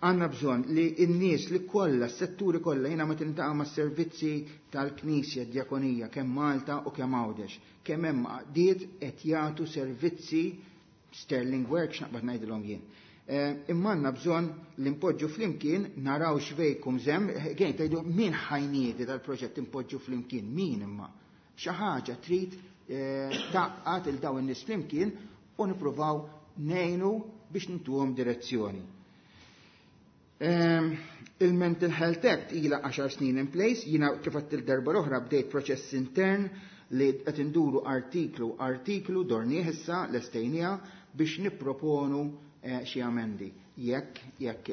Għandna bżonn li n-nies li kollha, s-setturi kollha, jiena meta niltaqa' mas-servizzi tal-Knisja, d-Djakonija, kemm Malta u kemm Għawdex, kemm hemm għaqdiet qed jagħtu servizzi sterling work x'naqbad ngħidilhom jien. Imma għandna bżonn li npoġġu flimkien naraw x'vejkum żemm, gejn tgħidu min ħajniedi dal-proġett impoġġu flimkien, min imma. Xi ħaġa trid taqqat il dawn in-nies flimkien u nippruvaw ngħinu biex nintuhom direzzjoni. Il-Mental Health Act ilha għaxar snin in place, jiena kif għedt il-darba l-oħra bdejt proċess intern li qed induru artiklu artiklu dornieh issa lestejnija biex nipproponu xi amendi. Jekk jekk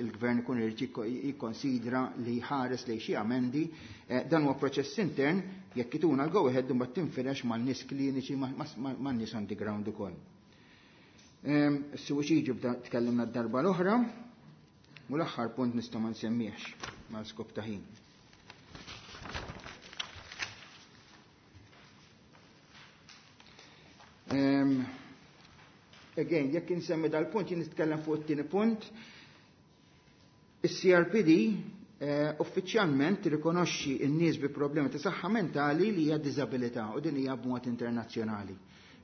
il-gvern ikun irid jikkonsidra li jħares lejn xi amendi, dan huwa proċess intern jekk ituna l-go ahead imbagħad tinfirex man-nies kliniċi man-nies on the ground ukoll. Is-suwiċidju bda tkellimna d-darba l-oħra u l-aħħar punt nista' ma nsemmihx mal-skop ta' ħin. Um, again, jekk insemmi dal-punt, jien nitkellem fuq it-tieni punt. Is-C R P D eh, uffiċjalment tirrikonoxxi n-nies bi problemi ta' saħħa mentali li hija diżabilità u din hija b'mod internazzjonali.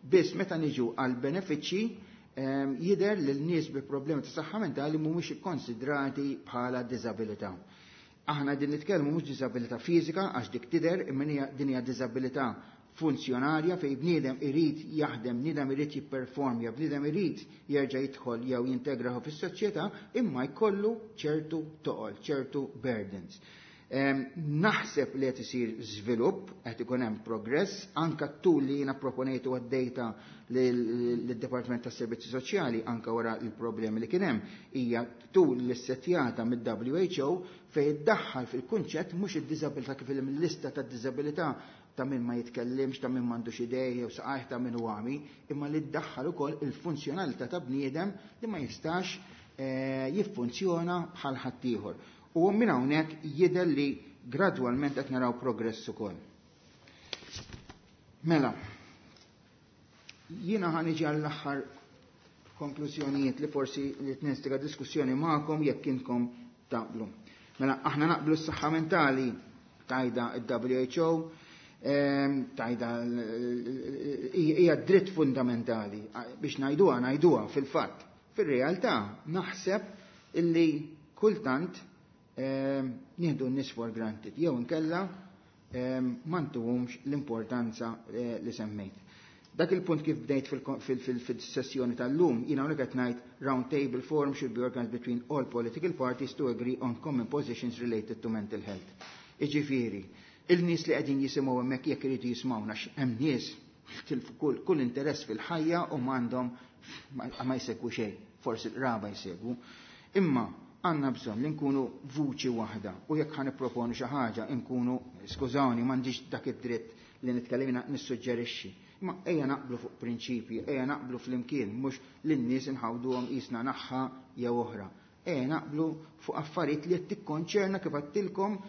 Biss meta niġu għal benefiċċji eh, jidher li l-nies bi problemi ta' saħħa mentali mhumiex ikkonsidrati bħala diżabilità. Aħna din nitkellmu mhux diżabilità fiżika għax dik tidher, imma din hija diżabilità funzjonarja fej bniedem irid jaħdem, bniedem irid jipperformja, bniedem irid jerġa' jidħol jew jintegraħu fis-soċjetà, imma jkollu ċertu toqol, ċertu burdens. Naħseb li qed isir żvilupp, qed ikun hemm progress, anka tul li jiena proponejtu għad-dejta lid-Dipartiment tas-Servizzi Soċjali anka wara l-problemi li kien hemm, hija tul li ssettjata mid-W H O fejn iddaħħal fil-kunċett mhux id-diżabilità kif il-lista tad-diżabilità ta' min ma jitkellimx, ta' min m'għandux idej jew saqajh ta' min hu għami, imma li ddaħħal ukoll il-funzjonalità ta' bniedem li ma jistax jiffunzjona bħal ħaddieħor. U minn hawnhekk jidher li gradwalment qed naraw progress ukoll. Mela, jiena ħa niġi għall-aħħar konklużjonijiet li forsi li tnistiga diskussjoni magħkom jekk intkom taqblu. Mela, aħna naqblu s-saħħa mentali tajda il-W H O, tajda hija dritt fundamentali biex ngħiduha ngħiduha fil-fatt. Fir-realtà naħseb illi kultant nieħdu n-nies for granted jew inkella ma ntuhomx l-importanza li semmejt. Dak il-punt kif bdejt fil-sessjoni tal-lum, jiena hawnhekk qed ngħid round table forum should be organized between all political parties to agree on common positions related to mental health. Iġifieri, il-nies li qegħdin jisimgħu hemmhekk jekk iridu jismgħuna hemm nies tilfu kull, kull interess fil-ħajja u m'għandhom ma jsegwu xejn, forsi l-raba jsegwu. Imma għandna bżonn li nkunu vuċi waħda u jekk ħa nipproponu xi ħaġa nkunu, skużawni, m'għandix dak id-dritt li nitkellem jiena nissuġġerixxi. Imma ejja naqblu fuq prinċipji, ejja naqblu flimkien, mhux lin-nies inħawduhom qisna naħħa jew oħra. Ejja naqblu fuq affarijiet li qed tikkonċerna kif għedtilkom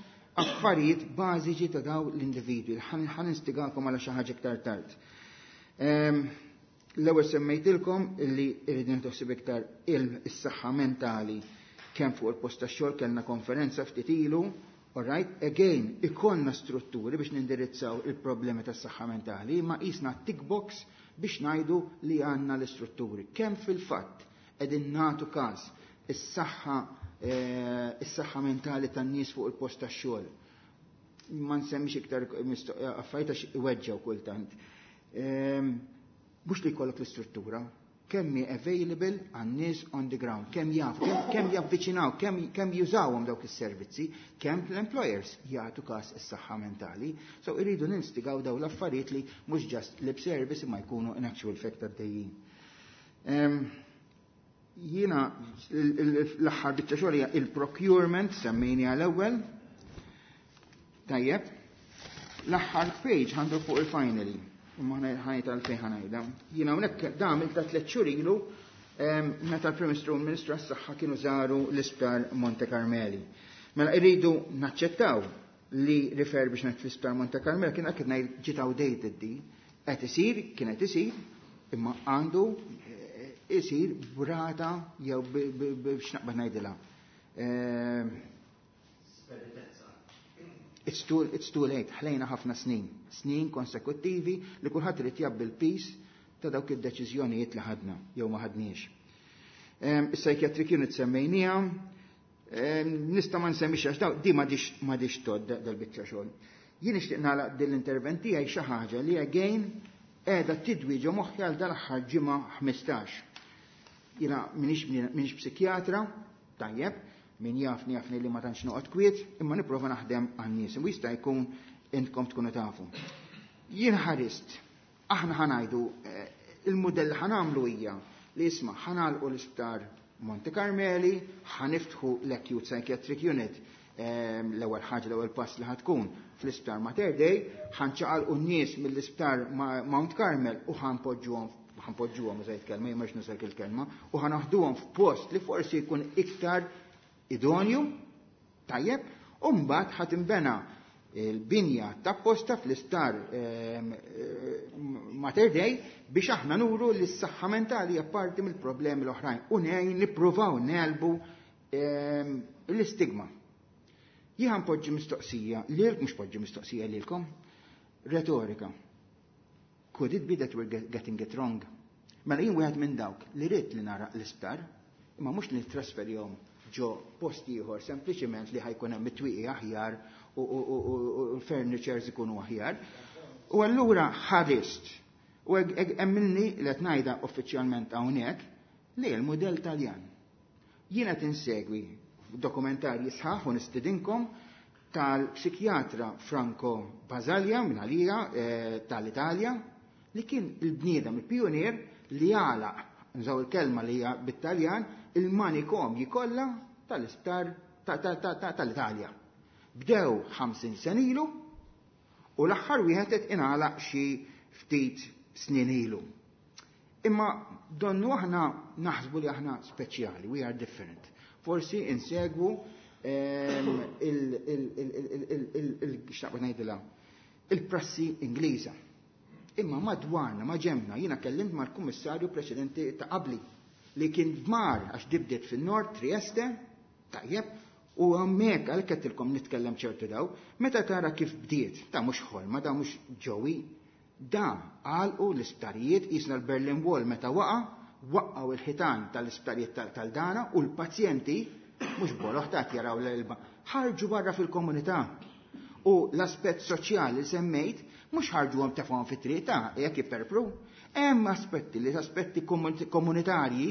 affarijiet bażiċi ta' daw l-individwi. Ħa nistigakom għal xi ħaġa iktar tard. Ehm, l-ewwel semmejtilkom li rridu ntoħsib iktar il-saħħa mentali kemm fuq il-post tax-xogħol kellna konferenza ftit ilu, all right, again, ikollna strutturi biex nindirizzaw il-problemi tas-saħħa mentali, ma qisna tick box biex ngħidu li għandna l-istrutturi. Kemm fil-fatt qegħdin nagħtu każ is-saħħa eh, is-saħħa mentali tan-nies fuq il-post tax-xogħol. Ma nsemmix iktar affarijiet għax iweġġew kultant. Ehm, mhux li jkollok l-istruttura, kemm hi available għan-nies on the ground, kemm jafu, kemm, kemm javviċinaw, kemm, kemm jużawhom dawk is-servizzi, kemm l-employers jagħtu każ is-saħħa mentali. So irridu ninstigaw daw l-affarijiet li mhux just lip service imma jkunu in actual fact għaddejjin. Um, jiena l-aħħar biċċa xogħol hija il-procurement semmejni għal-ewwel. Tajjeb. L-aħħar page għandu fuq il-finally. Imma ħajt għalfejn ħa ngħidha. Jiena hawnhekk dam il ta' tliet xhur ilu meta l-Prim Ministru u l-Ministru għas-Saħħa kienu żaru l-Isptar Monte Carmeli. Mela irridu naċċettaw li refurbishment fl-Isptar Monte Carmeli kien qed ngħid ġiet outdated di. Qed isir, kien qed isir, imma għandu isir brata jew biex naqbad ngħidilha. It's too, it's too late, ħlejna ħafna snin, snin konsekuttivi li kulħadd irid jgħabbi l-piż ta' dawk id-deċiżjonijiet li ħadna jew ma ħadniex. Is-psychiatric unit semmejniha, nista' ma nsemmix għax daw di m'għadix m'għadix tod dal-biċċa xogħol. Jien nixtieq nagħlaq din l-intervent tiegħi xi ħaġa li again qiegħda tidwi ġo moħħi għal dal-aħħar ġimgħa ħmistax. Jiena minix minix psikjatra, tajjeb, min jafni jafni li ma tantx noqgħod kwiet, imma nipprova naħdem għan-nies. U jista' jkun intkom tkunu tafu. Jien ħarist, aħna ħa ngħidu il-mudell ħa nagħmlu hija li isma' ħa nagħlqu l-isptar Monte Carmeli, ħa niftħu l-Acute Psychiatric Unit l-ewwel ħaġa l-ewwel pass li ħa tkun fl-isptar Mater Dei, ħa nċaqalqu n-nies mill-isptar Mount Carmel u ħa npoġġuhom ħa npoġġuhom użajt kelma, jien mhux nużak il-kelma, u ħa naħduhom f'post li forsi jkun iktar idonju, tajjeb, u mbagħad ħa tinbena il-binja ta' posta fl-isptar Mater Dei biex aħna nuru li s-saħħa mentali hija parti mill-problemi l-oħrajn u ngħin nippruvaw negħlbu l-istigma. Jien poġġi mistoqsija, lil mhux poġġi mistoqsija lilkom, retorika. Could it be that we're getting it wrong? Mela jien wieħed minn dawk li rrid li nara l-isptar, imma mhux li nittrasferihom ġo post ieħor sempliċement li ħa jkun hemm it-twieqi aħjar u l-furnitures ikunu aħjar. U allura ħarist u emmilni li qed ngħidha uffiċjalment hawnhekk li l-mudell Taljan. Jiena tinsegwi dokumentarji sħaħ u nistidinkom tal-psikjatra Franco Basaglia minn għalija eh, tal-Italja li kien il-bniedem, il-pionier li għalaq, nżaw il-kelma li hija bit-Taljan, il-manikomji kollha tal-isptar tal-Italja. Bdew ħamsin sena ilu u l-aħħar wieħed qed ingħalaq xi ftit snin ilu. Imma donnu aħna naħsbu li aħna speċjali, we are different. Forsi insegwu il-xtaqba ngħidilha il-prassi Ingliża. Imma madwarna, ma ġemna, jiena kellimt mal-kummissarju preċedenti ta' qabli li kien mar għax dibdiet fin-nord Trieste, tajjeb, u hemmhekk għal kettilkom nitkellem ċertu daw, meta tara kif bdiet, ta' mhux ħolma, da mhux ġowi, da għalqu l-isptarijiet jisna l-Berlin Wall meta waqa, waqqaw il-ħitan tal-isptarijiet tal-dana u l-pazjenti, mhux boloħ ta' jaraw l-elba, ħarġu barra fil-komunità. U l-aspett soċjali semmejt, mhux ħarġu għom tefgħu fit-triq ta' jekk jipperpru. Hemm aspetti li aspetti komunitarji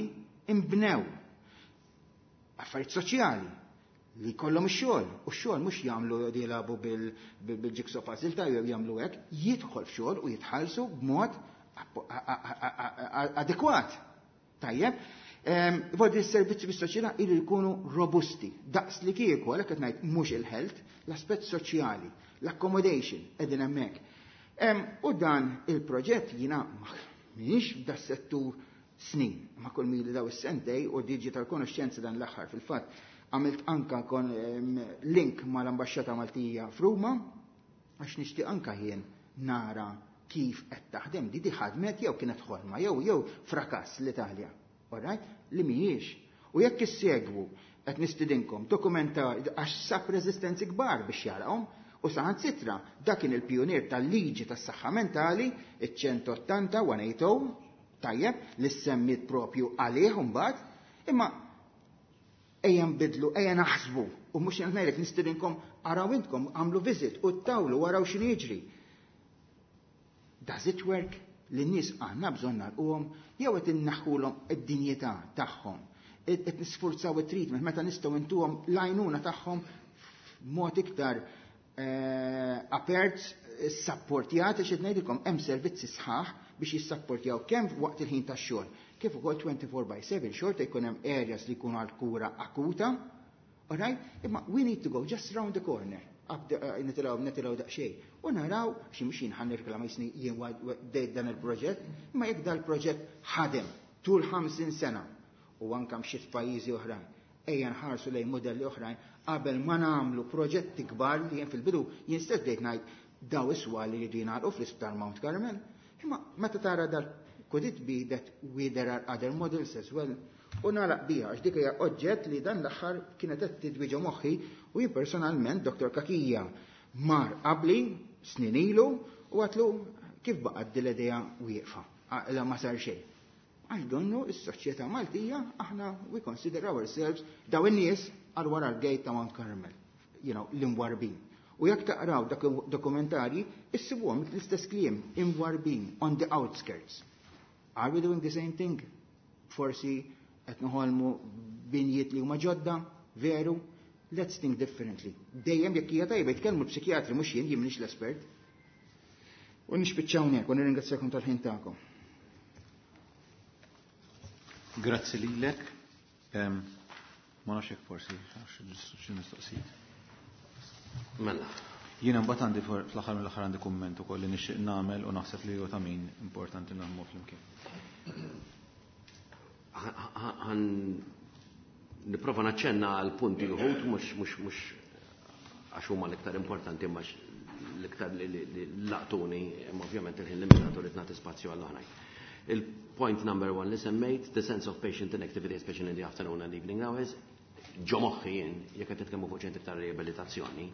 imbnew. Affarijiet soċjali li kollhom ix-xogħol, u x-xogħol mhux jagħmlu jilagħbu bil-jigsaw puzzle ta' jew jagħmlu hekk, jidħol f'xogħol u jitħallsu b'mod adekwat. Tajjeb, Vodi s-servizzi bis-soċjetà ilu jkunu robusti, daqs li kieku, għalhekk qed ngħid mhux il-health, l-aspett soċjali, l-accommodation qegħdin hemmhekk. U dan il-proġett jiena m'iniex da settur snin, ma kull mili daw is-sentej u digital konoxxenza dan l-aħħar fil-fatt għamilt anka kon link mal-Ambaxxata Maltija f'Ruma għax nixtieq anka jien nara kif qed taħdem di di ħadmet jew kienet ħolma jew jew frakass l-Italja. Alright? Li mhijiex. U jekk issegwu qed nistidinkom dokumenta għax sab reżistenzi kbar biex jarahom u saħansitra dak kien il-pionier tal-liġi tas-saħħa mentali, iċ-ċent ottanta ċent ottanta, tajjeb, li semmit propju għalih mbagħad, imma ejja nbidlu, ejja naħsbu, u mhux ngħidlek nistidinkom araw intkom għamlu visit u tawlu waraw x'inhu jiġri. Does it work? Li n-nies għandna bżonn nagħlquhom jew qed innaħħulhom id-dinjità tagħhom. Qed nisfurzaw it-treatment meta nistgħu intuhom l-għajnuna tagħhom b'mod iktar eh, apert, sapportjat, għax qed ngħidilkom hemm servizzi sħaħ biex jissapportjaw kemm waqt il-ħin tax-xogħol, kif ukoll twenty-four by seven xorta jkun hemm areas li jkunu għal kura akuta. Alright? Imma we need to go just round the corner. Nitilgħu nitilgħu daqsxejn. U naraw xi mhux jien ħa nirreklama jisni jien bdejt dan il-proġett, imma jekk dal-proġett ħadem tul ħamsin sena u anke mxiet f'pajjiżi oħrajn, ejja nħarsu lejn modelli oħrajn qabel ma nagħmlu proġetti kbar li jien fil-bidu jien stess bdejt ngħid daw iswa li jridu jingħalqu fl-Isptar Mount Carmel. Imma meta tara dal could it be that we there are other models as well? U nagħlaq biha, għax dik hija oġġett li dan l-aħħar kienet qed tidwiġa moħħi u jien personalment Doktor Cachia mar qabli snin ilu u għatlu kif baqgħet din l-idea wieqfa, la ma sar xejn. Għax donnu is-soċjetà Maltija aħna we consider ourselves daw in-nies għal wara l-gate ta' Mount Carmel, you know, l-imwarbin. U jekk taqraw dak dokumentarji, issibuhom l-istess kliem, imwarbin, on the outskirts. Are we doing the same thing? Forsi qed noħolmu binjiet li huma ġodda, veru? Let's think differently. Dejjem jekk hija tajba jitkellmu l-psikjatri mhux jien, jien m'iniex l-espert. U nispiċċaw hawnhekk u nirringrazzjakom tal-ħin tagħkom. Grazzi lilek. Em, Ma nafx jekk forsi xi mistoqsijiet. Mela. Jiena mbagħad għandi for- fl-aħħar mill-aħħar għandi kumment ukoll li nixtieq nagħmel u naħseb li huwa ta' min importanti naħdmu flimkien. Ħan nipprova naċċenna għal punti uħud mhux mhux mhux għax huma l-iktar importanti imma l-iktar li li- li laqtuni, imma ovvjament il-ħin limitatu li nagħti spazju għall oħrajn. Il-point number one li semmejt, the sense of patient inactivity, especially in the afternoon and evening hours, ġo moħħi jien, jekk qed titkellmu fuq ċentri ta' riabilitazzjoni,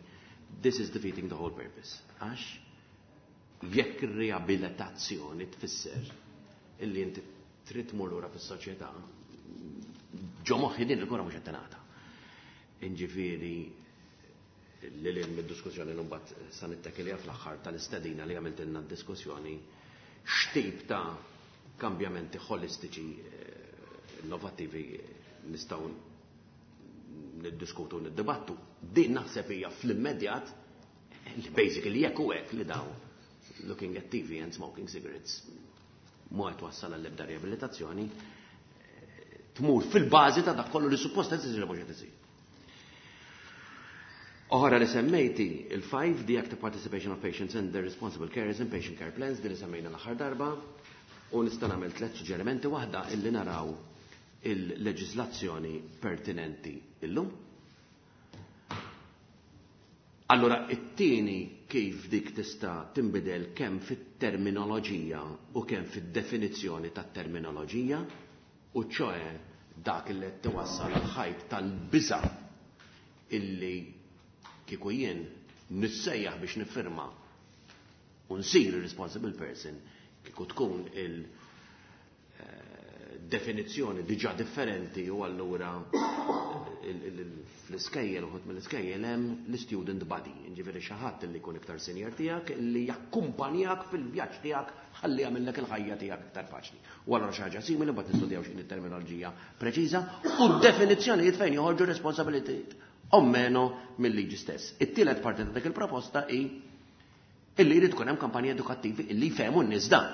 this is defeating the whole purpose. Għax jekk ir-riabilitazzjoni tfisser illi inti trid tmur lura fis-soċjetà, ġo moħħi din il-kura mhux qed tingħata. Inġifieri li lil mid-diskussjoni li mbagħad sa nittakilja fl-aħħar tal-istedina li għamiltilna d-diskussjoni x'tip ta' kambjamenti holistiċi eh, innovattivi nistgħu niddiskutu u niddibattu. Din naħseb hija fl-immedjat li basically jekk u hekk li daw looking at T V and smoking cigarettes mu qed wassal għall-ebda riabilitazzjoni, eh, tmur fil-bażi ta' dak kollu li suppost qed isir mhux qed isir. Oħra li semmejti, il-five, the active participation of patients and their responsible carers in patient care plans, din li semmejna l-aħħar darba, u nista' nagħmel tliet suġġerimenti: waħda illi naraw il-leġislazzjoni pertinenti illum. Allora, it-tieni kif dik tista' tinbidel kemm fit-terminoloġija u kemm fid-definizzjoni tat-terminoloġija, u ċoe dak li qed tiwassal għal-ħajt tal-biża' illi kieku jien nissejjaħ biex nifirma u nsir responsible person, kieku tkun il- eh, definizzjoni diġà differenti. U allura il- il- il- fl-iskejjel, uħud mill-iskejjel hemm l-student buddy, ġifieri xi ħadd li jkun iktar senior tiegħek li jakkumpanjak fil-vjaġġ tiegħek ħalli jagħmellek il-ħajja tiegħek iktar faċli. U allura xi ħaġa simili mbagħad nistudjaw x'inhi terminoloġija preċiża u d-definizzjonijiet fejn joħorġu responsabilitajiet o meno mill-liġi stess. It-tielet parti ta' dik il-proposta hi illi jrid tkun hemm kampanji edukattivi illi jfehmu n-nies dan.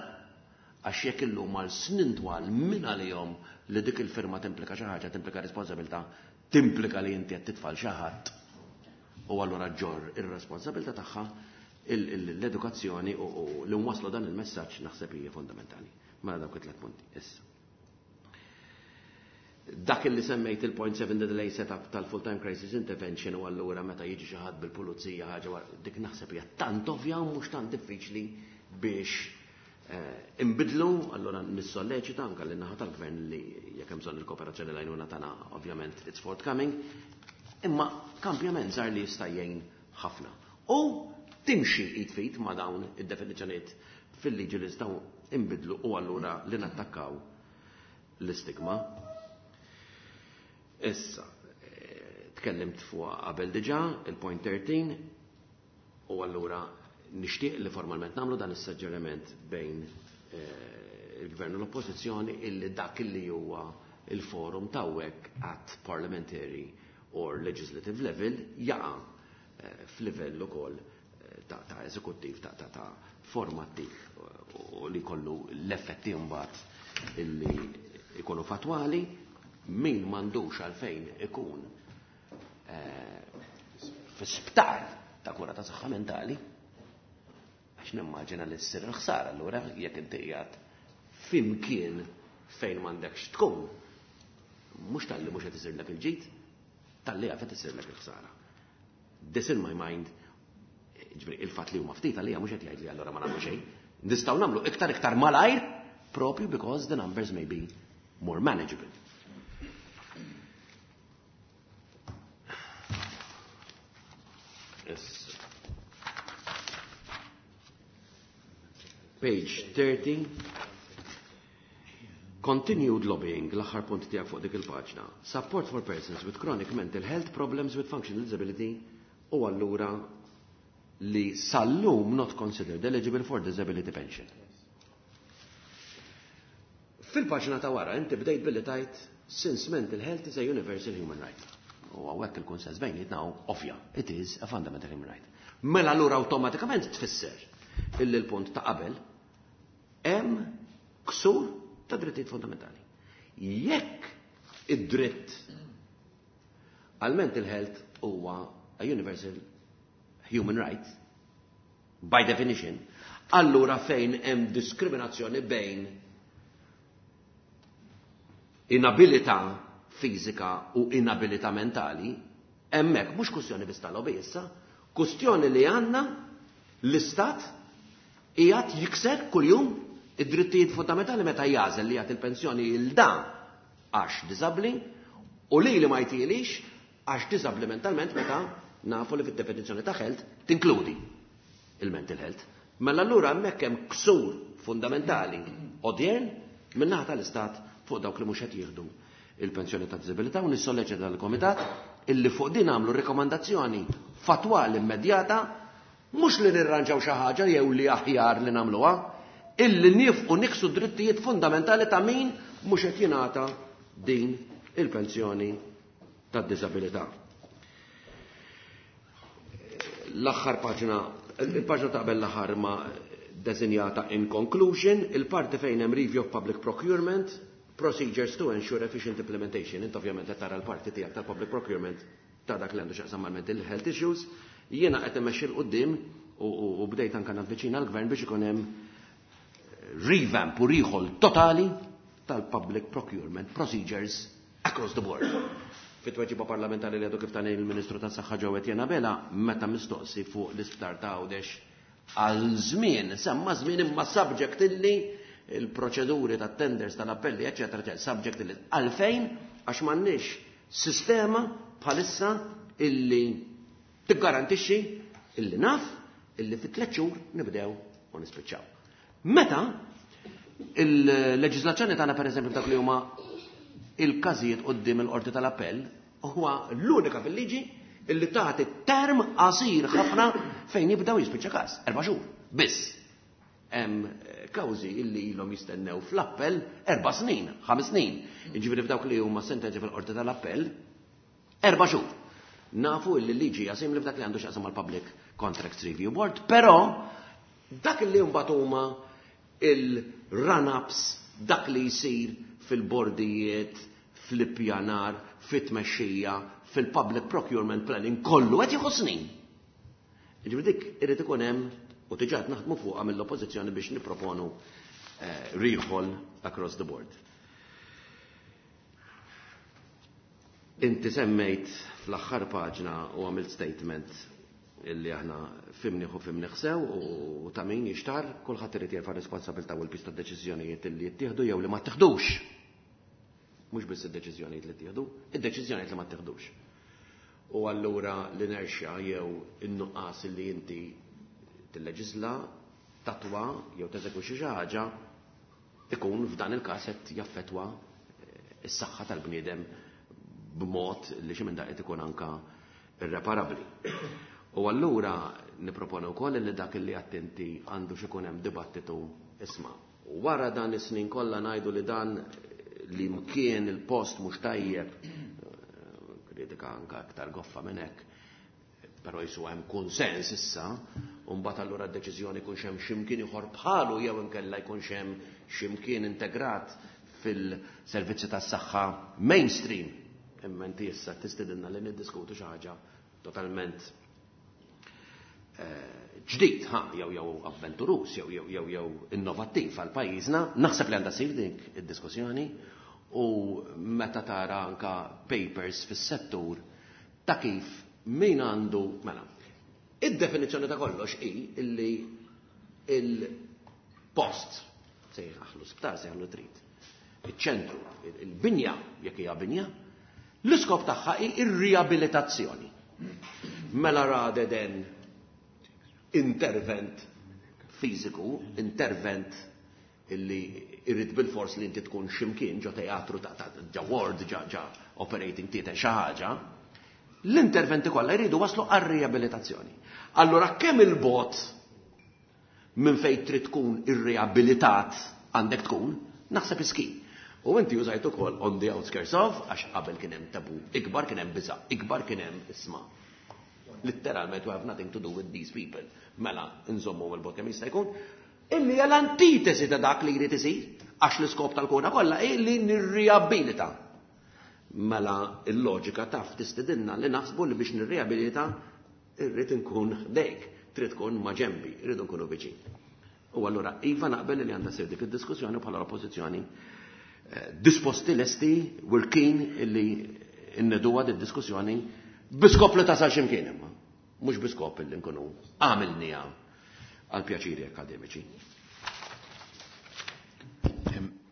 Għax jekk illum għal snin twal minn għalihom li dik il-firma timplika xi ħaġa, timplika responsabilità, timplika li inti qed titfal xi ħadd u allura ġorr ir-responsabilità tagħha, l-edukazzjoni u li nwasslu dan il-messaġġ naħseb hija fundamentali. Mela dawk it-tliet punti. Issa. Dak li semmejt il-point seven delay setup tal-full-time crisis intervention u allura meta jiġi xi ħadd bil-pulizija ħaġa dik naħseb hija tant ovvja u mhux tant diffiċli biex imbidlu, allura nissolleċita anke lin naħa tal-gvern li jekk hemm bżonn il-kooperazzjoni l-għajnuna tagħna ovvjament it's forthcoming, imma kampjament żgħar li jista' jgħin ħafna. U timxi id fit ma' dawn id-definizzjonijiet fil-liġi li nistgħu imbidlu u allura li nattakkaw l-istigma. Issa, tkellimt fuq qabel diġà, il-point thirteen, u allura nixtieq li formalment nagħmlu dan is-suġġeriment bejn il-gvern u l-oppożizzjoni illi dak illi huwa il-forum tawwek at parliamentary or legislative level jaqa' f'livell ukoll ta' ta' eżekuttiv, ta' ta' ta' formattiv u li kollu l-effetti mbagħad illi ikunu fatwali, min m'għandux għalfejn ikun fi sptar ta' kura ta' saħħa mentali, għax nimmaġina li ssir il-ħsara allura jekk inti qiegħed fimkien fejn m'għandekx tkun, mhux talli mhux qed isirlek il-ġid, talli qed isirlek il-ħsara. This in my mind, ġifieri il-fatt li huma ftit għalija mhux qed jgħid li allura ma nagħmlu xejn. Nistgħu nagħmlu iktar iktar malajr propju because the numbers may be more manageable. Yes. Page thirty. Continued lobbying, l-aħħar punt tiegħek fuq dik il-paġna. Support for persons with chronic mental health problems with functional disability u allura li sal-lum not considered eligible for disability pension. Fil-paġna ta' wara inti bdejt billi tajt since mental health is a universal human right. U hawnhekk il-kunsens bejnietna hu ovvja, it is a fundamental human right. Mela allura awtomatikament tfisser illi l-punt ta' qabel hemm ksur ta' drittijiet fundamentali. Jekk id-dritt għal mental health huwa a universal human right, by definition, allura fejn hemm diskriminazzjoni bejn inabilità fiżika u inabilità mentali, hemmhekk mhux kwistjoni biss tal-lobby issa, kwistjoni li għandna l-istat qiegħed jikser kuljum id-drittijiet fundamentali meta jagħżel li jagħti il-pensjoni lil dan għax diżabbli u li li ma jtilix għax diżabbli mentalment meta nafu li fid-definizzjoni ta' health tinkludi il-mental health. Mela allura hemmhekk hemm ksur fundamentali odjern min-naħa tal-istat fuq dawk li mhux qed jieħdu il-pensjoni ta' diżabilità u nissolleċita dal-komitat illi fuq din għamlu rekomandazzjoni fatwali immedjata mhux li nirranġaw xi ħaġa jew li aħjar li nagħmluha, illi nifqu niksu drittijiet fundamentali ta' min mhux qed jingħata din il-pensjoni tad-diżabilità. L-aħħar paġna, il-paġna ta' qabel l-aħħar ma desinjata in conclusion, il-parti fejn hemm review of public procurement, procedures to ensure efficient implementation. Int ovvjament qed tara l-parti tiegħek tal-public procurement ta' dak li għandu x'jaqsam mal-mental health issues. Jiena qed immexxi 'l quddiem u bdejt anke navviċina l-gvern biex ikun hemm revamp u recall totali tal-public procurement procedures across the board. Fit-tweġiba parlamentari li għadu kif tani il-Ministru tas-Saħħa Joe Etienne Abela, meta mistoqsi fuq l-isptar ta' Għawdex għal żmien, semma żmien imma subject illi il-proċeduri ta' tenders tal-appelli, eccetera, eccetera, subject illi għalfejn għax m'għandniex sistema bħalissa illi tiggarantixxi illi naf illi fit tliet xhur nibdew u nispiċċaw. Meta il-leġiżlazzjoni tagħna pereżempju dak li huma il-każijiet quddiem il-qorti tal-appell huwa l-unika fil-liġi illi tagħti term qasir ħafna fejn jibdew jispiċċa każ, erba' xhur biss. Hemm kawżi illi ilhom jistennew fl-appell erba' snin, ħames snin. Jiġifieri f'dawk li huma sentenzi fil-qorti tal-appell erba' xhur. Nafu illi l-liġi hija simili f'dak li għandu x'jaqsam mal-Public Contracts Review Board, però dak li mbagħad huma il run-ups, dak li jsir fil-bordijiet, fl-ippjanar, fit-tmexxija, fil-public procurement planning, kollu qed jieħu snin. Ġifieri dik irid ikun hemm u diġà qed naħdmu fuqha mill-oppożizzjoni biex nipproponu eh, recall across the board. Inti semmejt fl-aħħar paġna u għamilt statement illi aħna fimniħ u fimniħ sew u ta' min jixtar, kulħadd irid jerfa' responsabilità u l-pista deċiżjonijiet illi jittieħdu jew li ma ttieħdux. Mhux biss id-deċiżjonijiet li ttieħdu, id-deċiżjonijiet li ma ttieħdux. U allura l-inerxja jew in-nuqqas illi inti tilleġisla, tatwa jew teżegwixxi xi ħaġa ikun f'dan il-każ qed jaffettwa s-saħħa tal-bniedem b'mod li xi minn daqqiet ikun anka irreparabbli. U allura niproponu wkoll li dak li attenti għandu x'ikun hemm dibattitu isma'. U wara dan is-snin kollha ngħidu li dan li mkien il-post mhux tajjeb, kritika anka aktar goffa minn hekk, però jisu hemm konsens issa, u mbagħad allura d-deċiżjoni jkunx hemm x'imkien ieħor bħalu jew inkella jkunx hemm x'imkien integrat fil-servizzi tas-saħħa mainstream. Imma inti issa tistidilna li niddiskutu xi ħaġa totalment ġdid, ha, jew jew avventurus, jew jew jew jew innovattiv għal pajjiżna, naħseb li għandha ssir dik id-diskussjoni u meta tara anka papers fis-settur ta' kif min għandu, mela, id-definizzjoni ta' kollox hi illi il-post se jħaħlu sptar, se jħallu trid. Iċ-ċentru, il-binja, jekk hija binja, l-iskop tagħha hi ir-riabilitazzjoni. Mela rather than intervent fiżiku, intervent illi irrid bil-fors li inti tkun ximkien ġo teatru ta' ta' ġa ward, ġa ġa operating theater xi ħaġa, l-interventi kollha jridu waslu għar-riabilitazzjoni. Allura kemm il-bot minn fejn trid tkun irriabilitat għandek tkun, naħseb iski. U inti użajt ukoll on the outskirts of, għax qabel kien hemm tabu, ikbar kien hemm biża', ikbar kien hemm isma'. Literalment we have nothing to do with these people. Mela, nżommu il-bot kemm jista' jkun. Illi hija l-antitesi ta' dak li jrid isir, għax l-iskop tal-kura kollha hi li nirriabilita. Mela il-loġika taf tistidilna li naħsbu li biex nirriabilita irrid inkun ħdejk, trid tkun ma' ġenbi, irridu nkunu viċin. U allura iva naqbel li għandha ssir dik id-diskussjoni bħala l-oppożizzjoni disposti lesti we're keen illi inneduha di diskussjoni biskop li tasal x'imkien imma, mhux biskop illi nkunu għamilniha għal pjaċiri akademiċi.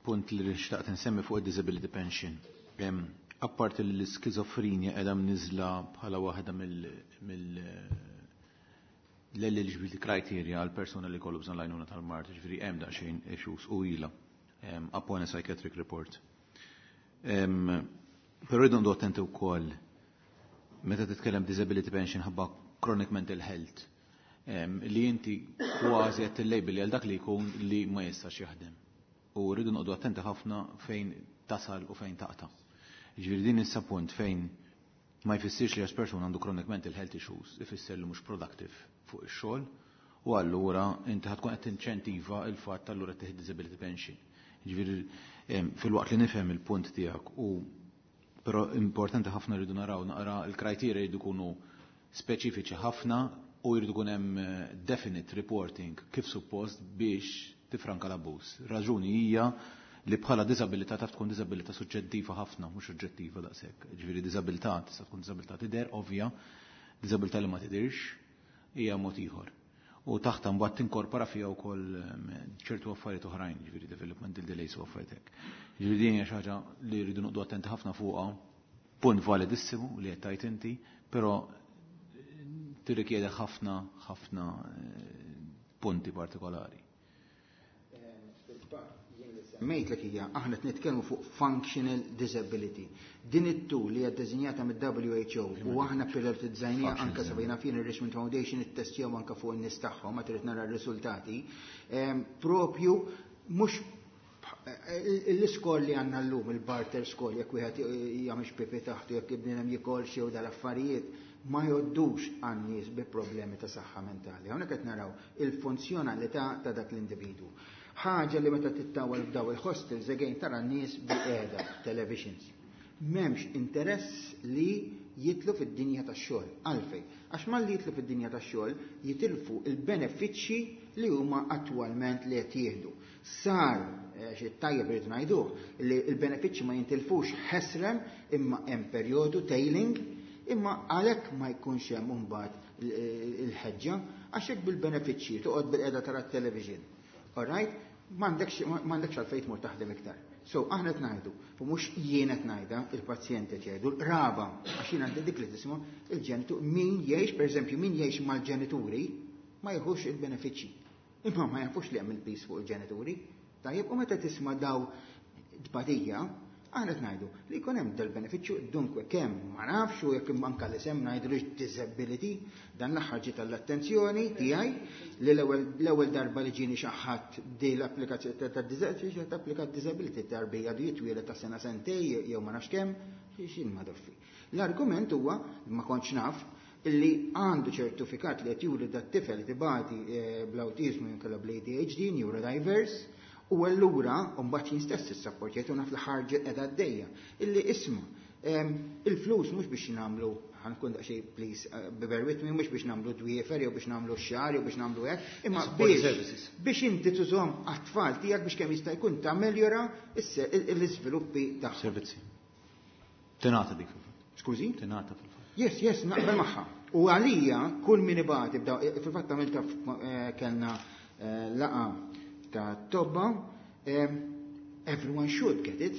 Punt li xtaqt nsemmi fuq id-disability pension. Apparti li l-skizofrenja qiegħda mniżla bħala waħda mill l-eligibility criteria għal persuna li kollu bżonn l-għajnuna tal-mard, ġifieri hemm daqsxejn issues u ilha upon a psychiatric report. Però rridu ndu attenti wkoll meta titkellem disability pension ħabba chronic mental health li inti kważi qed tillabel għal dak li jkun li ma jistax jaħdem. U rridu noqogħdu attenti ħafna fejn tasal u fejn taqta'. Ġifieri din issa punt fejn ma jfissirx li għax persuna għandu chronic mental health issues, ifisser li mhux productive fuq ix-xogħol, u allura inti ħatkun qed tinċentiva il-fatt allura tieħed disability pension. Ġifieri fil-waqt li nifhem il-punt tiegħek u però importanti ħafna rridu naraw naqra l-criteria jridu jkunu speċifiċi ħafna u jridu jkun hemm definite reporting kif suppost biex tifranka l-abbuż. Raġuni hija li bħala disabilità taf tkun disabilità suġġettiva ħafna, mhux oġġettiva daqshekk. Ġifieri disabilità tista' tkun disabilità tidher ovvja, disabilità li ma tidirx hija mod ieħor. U taħta mbagħad tinkorpora fiha wkoll ċertu affarijiet oħrajn, ġifieri developmental delays u affarijiet hekk. Ġifieri din hija xi ħaġa li rridu noqogħdu attenti ħafna fuqha, punt validissimu li qed tgħid inti, però tirrikjede ħafna ħafna punti partikolari. Semmejtlek hija aħna qed nitkellmu fuq functional disability. Din it-tool li hija ddeżinjata mid-W H O u aħna prioritizzajniha anke sabejna fin il-Richmond Foundation ittestjaw anke fuq in-nies tagħhom ma trid nara r-riżultati. Propju mhux l-iskor li għandna llum, il-Barthel score, jekk wieħed jagħmel pipi taħtu, jekk ibninem jikol xi dal-affarijiet, ma joddux għan-nies bi problemi ta' saħħa mentali. Hawnhekk qed naraw il-funzjonalità ta' dak l-individwu. Ħaġa li meta tittawal f'daw il-hostels, again tara n-nies bil-qiegħda, televisions. M'hemmx interess li jitlu fid-dinja tax-xogħol. Għalfejn? Għax malli jitlu fid-dinja tax-xogħol jitilfu il-benefiċċji li huma attwalment li qed jieħdu. Sar eh, xi tajjeb irid ngħiduh li l-benefiċċji ma jintilfux ħesrem imma hemm perjodu tailing imma għalhekk ma jkunx hemm imbagħad il-ħeġġa għax hekk bil-benefiċċji toqgħod bil-qiegħda tara t-television. All right? M'għandekx għalfejn tmur taħdem iktar. So, aħna qed ngħidu, u mhux jien qed ngħidha, il-pazjent qed jgħidu, l-qraba, għax jien għandi dik li tisma' il-ġenitur, min jgħix, pereżempju, min jgħix mal-ġenituri ma jieħux il-benefiċċji. Imma ma jafux li hemm il-piż fuq il-ġenituri. Tajjeb, u meta tisma' daw tbatija, aħna qed ngħidu li jkun hemm dal-benefiċċju dunkwe kemm ma nafx u jekk anke li sem ngħidu disability, dan l-aħħar ġiet l-attenzjoni tiegħi li l-ewwel darba li ġieni xi ħadd di l-applikazzjoni ta' disability applika disability tarbija għadu jitwieled ta' sena sentej jew ma nafx kemm xin ma doffi. L-argument huwa ma kontx naf illi għandu ċertifikat li qed juri dat-tifel tibati bl-awtiżmu jew kellha bl-A D H D, neurodiverse, u allura mbagħad jien stess issapportjajt u naf li ħarġet qiegħda għaddejja. Illi isma' il-flus mhux biex nagħmlu, ħa nkun daqsxejn please bear with me, mhux biex nagħmlu dwiefer jew biex nagħmlu x-xagħar jew biex nagħmlu hekk, imma biex biex inti tużhom għat-tfal tiegħek biex kemm jista' jkun tammeljora l-iżviluppi tagħhom. Servizzi. Tingħata dik fil-fatt. Skużi? Tingħata fil-fatt. Yes, yes, naqbel magħha. U għalija kull min ibati fil-fatt għamilta kellna laqgħa ta' tobba, everyone should get it.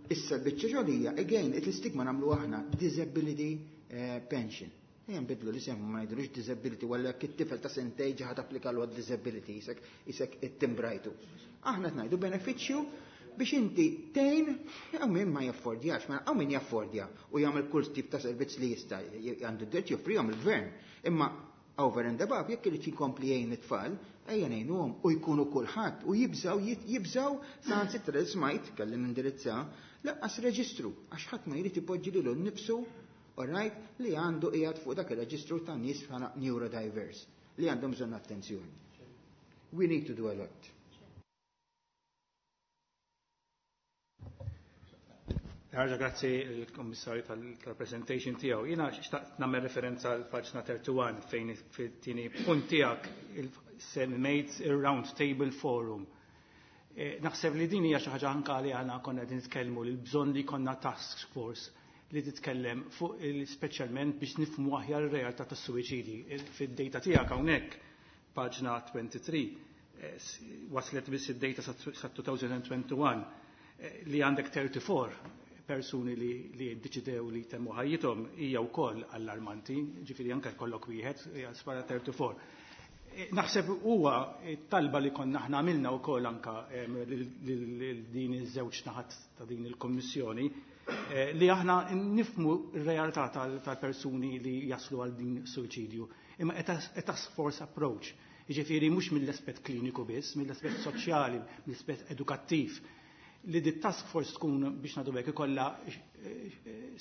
Issa l-biċċa xogħlija, again, it-stigma nagħmlu aħna disability pension. Ejja nbidlu li semmu ma ngħidulux disability walla jekk it-tifel ta' sentej ġaħat applika l disability isek isek it-timbrajtu. Aħna qed ngħidu benefiċċju biex inti tgħin hawn min ma jaffordjax, ma hawn min jaffordja u jagħmel kull tip ta' servizz li jista' għandu d-dritt joffrihom il-gvern. Imma over and above, jekk irid jkompli jgħin it-tfal, ejja ngħinuhom u jkunu kulħadd u jibżaw jibżaw saħansitra li smajt kelli nindirizza lanqas reġistru għax ħadd ma jrid ipoġġi lilu nnifsu, alright, li għandu qiegħed fuq dak ir-reġistru ta' nies bħala neurodiverse li għandhom bżonn attenzjoni. We need to do a lot. Ħarġa, grazzi il-Kommissarju tal-presentation tiegħu. Jiena xtaqt nagħmel referenza għal paġna wieħed u tletin fejn fit-tieni punt tiegħek semmejt ir-Round Table Forum. Naħseb li din hija xi ħaġa anke li aħna konna qegħdin nitkellmu li l-bżonn li konna task force li titkellem fuq speċjalment biex nifhmu aħjar ir-realtà tas-suwiċidi. Fid-data tiegħek hawnhekk, paġna tlieta u għoxrin, waslet biss id-data sa elfejn u wieħed u għoxrin li għandek tlieta u erbgħin persuni li li ddeċidew li temmu ħajjithom hija wkoll allarmanti, ġifieri anke jkollok wieħed hija spara tlieta u erbgħin. Naħseb huwa talba li konna aħna għamilna wkoll anka din iż-żewġ naħat ta' din il-Kommissjoni li aħna nifmu r-realtà tal-persuni li jaslu għal din suwiċidju. Imma a task force approach, jiġifieri mhux mill-aspett kliniku biss, mill-aspett soċjali, mill-aspett edukattiv, li di task force tkun biex nagħdu hekk ikollha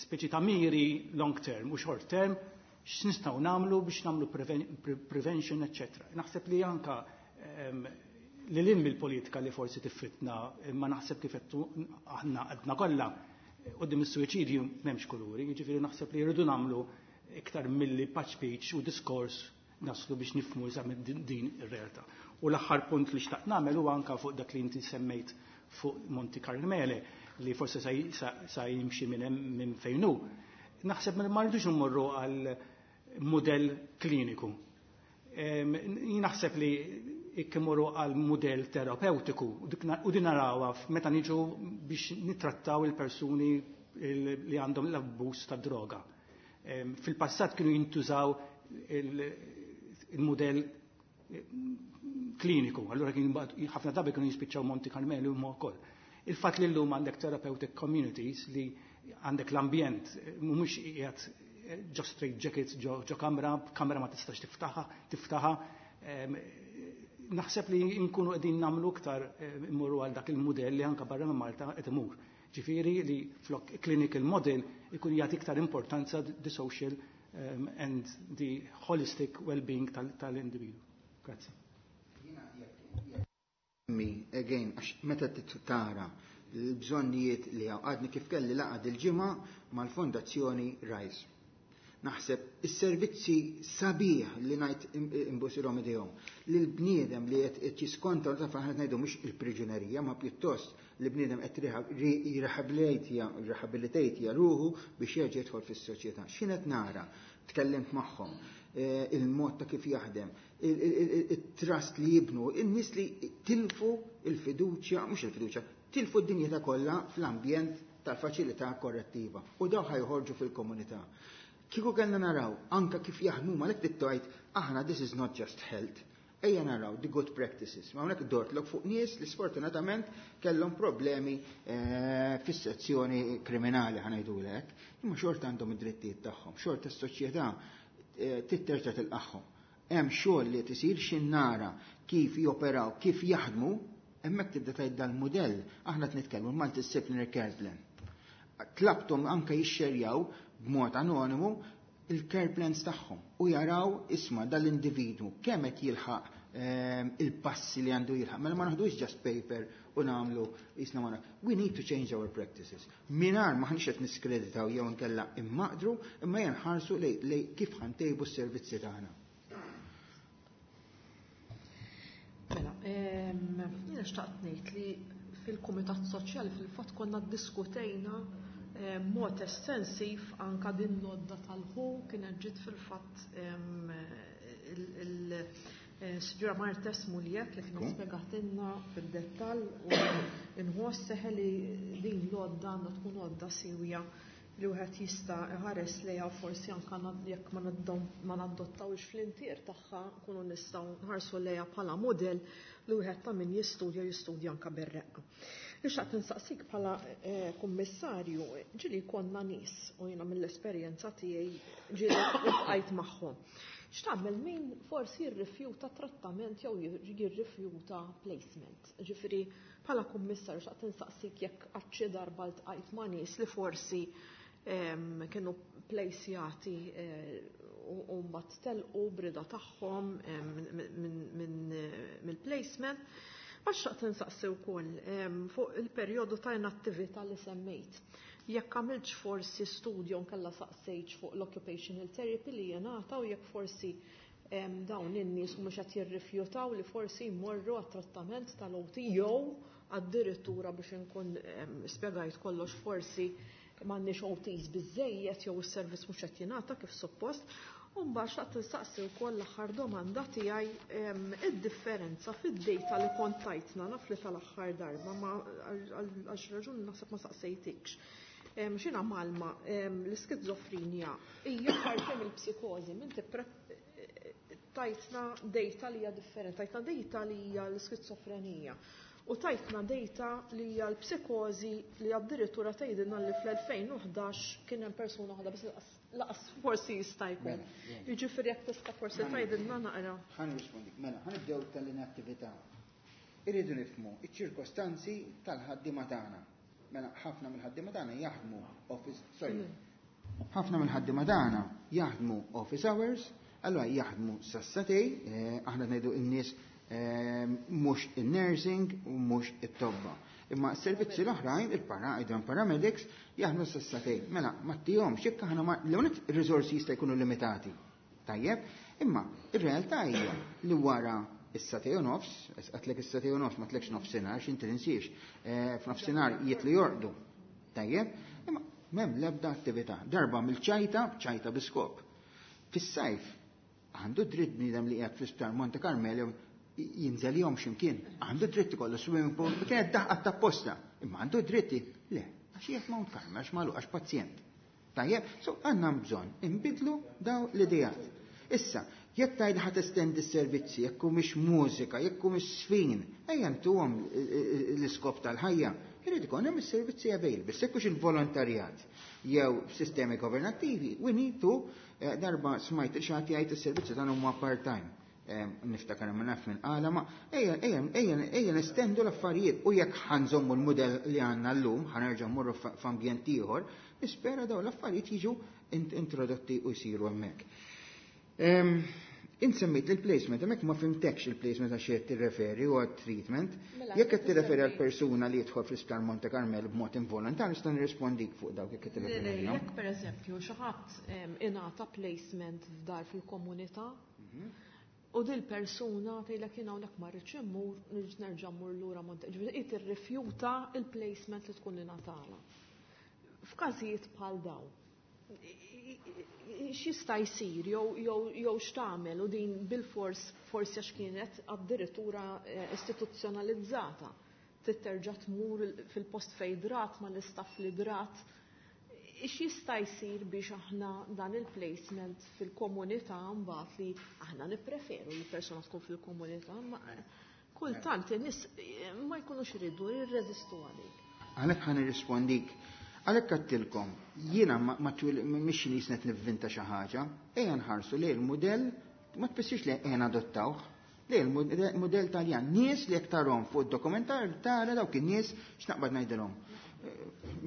speċi ta' miri long term u short term x'nistgħu nagħmlu biex nagħmlu prevention, eċċetera. Naħseb li anka li lil mill-politika li forsi tiffitna, imma naħseb kif aħna għadna kollha quddiem is-suwiċidju m'hemmx kuluri, jiġifieri naħseb li jridu nagħmlu iktar milli patch speech u diskors naslu biex nifhmu eżatt din ir-realtà. U l-aħħar punt li xtaqt nagħmel huwa anka fuq dak li inti semmejt fuq Monte Carmele li forse sa jimxi minn minn fejn hu. Naħseb ma rridux immorru għal modell kliniku. Naħseb li ikkimorru għal modell terapeutiku u din narawha meta niġu biex nittrattaw il-persuni li għandhom l-abbuż ta' droga. Fil-passat kienu jintużaw il-modell kliniku, allura kien ħafna drabi kienu jispiċċaw Monte Carmeli u wkoll. Il-fatt li llum għandek therapeutic communities li għandek l-ambjent, mhumiex qiegħed ġo straight jackets, ġo kamra, kamra ma tistax tiftaħa, tiftaħa. Naħseb li nkunu qegħdin nagħmlu iktar immorru għal dak il-mudell li anka barra minn Malta qed imur. Ġifieri li flok clinical model ikun jagħti iktar importanza the social um, and the holistic well-being tal-individu. Grazie. Again, għax meta tara l-bżonnijiet li għadni kif kelli laqgħa dil-ġimgħa mal-Fondazzjoni Rise. Naħseb is-servizzi sabiħ li ngħid imbusilhom idejhom li l-bniedem li qed jiskonta u taf aħna ngħidu mhux il-priġunerija ma pjuttost li bniedem qed jirrehabilitejtja ruħu biex jerġa' jidħol fis-soċjetà. X'in qed nara? Tkellimt magħhom, il-mod ta' kif jaħdem, it-trust li jibnu, in-nies li tilfu il-fiduċja, mhux il-fiduċja, tilfu d-dinjità kollha fl-ambjent tal-faċilità korrettiva u daw ħajħorġu fil-komunità. Kieku kellna naraw anka kif jaħdmu ma lek tittajt aħna this is not just health. Ejja naraw the good practices. Ma hawnhekk dortlok fuq nies li sfortunatament kellhom problemi fis-sezzjoni kriminali ħa ngħidulek, imma xorta għandhom id-drittijiet tagħhom, xorta s-soċjetà titterġa' tilqagħhom. Hemm xogħol li tisir x'in nara kif joperaw, kif jaħdmu, hemmhekk tibda tgħid dal-mudell, aħna qed nitkellmu multidisciplinary care plan. Tlabthom anke jixxerjaw b'mod anonimu il-care plans tagħhom u jaraw isma' dal-individwu kemm qed jilħaq il-passi li għandu jilħaq. Mela ma naħdux just paper u nagħmlu isna ma. We need to change our practices. Mingħajr ma ħanix qed niskreditaw jew nkella immaqdru, imma jenħarsu lej kif ħantejbu s-servizzi tagħna. Mela, jiena xtaqt ngħid li fil-Kumitat Soċjali fil-fatt konna ddiskutejna mod estensiv anka din l-odda tal-ħu kienet ġiet fil-fatt il-Sinjura Martes Muljet li kienet spjegatilna fid-dettall u nħoss seħe li din l-odda għandha tkun odda siwja li wieħed jista' iħares lejha forsi anke jekk ma nadottawx fl-intier tagħha nkunu nistgħu nħarsu lejha bħala mudell li wieħed ta' min jistudja jistudja anke bir-reqqa. Ixtaqt nsaqsik bħala kummissarju, ġieli konna nies u jiena mill-esperjenza tiegħi ġieli ltqajt magħhom. X'tagħmel min forsi jirrifjuta trattament jew jirrifjuta placement. Ġifieri bħala kummissarju xtaqt insaqsik jekk qatt xi darba ltqajt ma' nies li forsi kienu plejsjati u mbagħad telqu brida tagħhom mill-placement. Ma xtaqt insaqsi wkoll fuq il-perjodu ta' inattività li semmejt. Jekk għamiltx forsi studju nkella saqsejtx fuq l-occupational therapy li jingħata u jekk forsi dawn in-nies mhux qed jirrifjutaw li forsi jmorru għat-trattament tal-O T jew addirittura biex inkun spjegajt kollox forsi m'għandniex O Ts biżejjed jew is-servizz mhux qed jingħata kif suppost. U mbagħad xtaqt insaqsi wkoll l-aħħar domanda tiegħi id-differenza fid-data li kont tajtna naf li tal-aħħar darba ma għal xi raġuni naħseb ma saqsejtikx. X'inha malma l-iskizofrenja hija parti mill-psikożi, inti tajtna data li hija differenti, tajtna data li hija l-iskizofrenija. U tajtna data li hija l-psikożi li addirittura tgħidilna li fl-elfejn u ħdax kien hemm persuna waħda biss laqas forsi jista' jkun. Jiġifieri jekk tista' forsi tgħidilna naqra. Ħa nirrispondik. Mela, ħa nibdew tal-inattività. Irridu nifhmu iċ-ċirkostanzi tal-ħaddiema tagħna. Mela ħafna mill-ħaddiema tagħna jaħdmu office, sorry. Ħafna mill-ħaddiema tagħna jaħdmu office hours, allura jaħdmu sassatej, aħna ngħidu n-nies mhux il-nursing u mhux it-tobba. Imma s-servizzi l-oħrajn, il-para, paramedics, jaħdmu sassatej. Mela, ma ttihomx, jekk aħna ma l-unik riżorsi jista' jkunu limitati. Tajjeb, imma ir-realtà hija li wara is-satej u nofs, għatlek is-satej u nofs, ma tlekx nofsinhar, x'inti tinsiex, f'nofsinhar jitlu jorqdu. Tajjeb, imma m'hemm l-ebda attività. Darba mill-ċajta, ċajta bi skop. Fis-sajf għandu dritt bniedem li qiegħed fl-isptar Monte Carmelo jinżel jom x'imkien, għandu dritt ikollu swimming pool, kienet daħqa ta' posta, imma għandu dritti, le, għax qiegħed Mount Carmel, għax magħluq, għax pazjent. Tajjeb, so għandna bżonn inbidlu daw l-idejat. Issa, jekk tgħid ħa testendi s-servizzi, jekk mhix mużika, jekk mhix sfin, ejja ntuhom l-iskop tal-ħajja, irid ikun hemm is-servizzi available, jekk hux il-volontarjat jew sistemi governattivi, we need to, darba smajt xi ħadd jgħid is-servizzi tagħna huma part-time. Niftakar ma naf minn qala, ma ejja, ejja, ejja, ejja nestendu l-affarijiet u jekk ħanżommu l-mudell li għandna llum, ħanerġa' mmorru f'ambjent ieħor, nispera dawn l-affarijiet jiġu introdotti u jsiru hemmhekk. Int semmejt il-placement, hemmhekk ma fhimtekx il-placement għax qed tirreferi u għat-treatment. Mela, Jekk qed tirreferi għal semmi- persuna li jidħol fl-isptar Monte Carmel b'mod involontarju, nista' nirrispondik fuq dawk jekk qed Le, le, tirreferi għalihom. Jekk per eżempju xi ħadd em, ingħata placement f'dar fil-komunità, u dil persuna tgħidlek jien hawnhekk ma rridx immur, nirġ nerġa' mmur lura Monte. Ġifieri hi tirrifjuta il-placement li tkun ingħatala. F'każijiet bħal dawn, x'jista' jsir jew jew jew x'tagħmel u din bil-fors forsi għax kienet addirittura eh, istituzzjonalizzata. Trid terġa' tmur fil-post fejn drat mal-istaff li drat. X'jista' jsir biex aħna dan il-placement fil-komunità mbagħad li aħna nippreferu li persuna tkun fil-komunità, ma kultant in-nies eh, ma jkunux iridu jirreżistu għalik. Għalhekk ħa nirrispondik. Għalhekk għedtilkom, jiena ma ma twil mhix nies qed nivvinta xi ħaġa, ejja nħarsu lejn il-mudell ma tfissirx li ejja nadottawh. Lejn il-mudell Taljan, nies li jekk tarahom fuq id-dokumentar tara dawk in-nies x'naqbad ngħidilhom.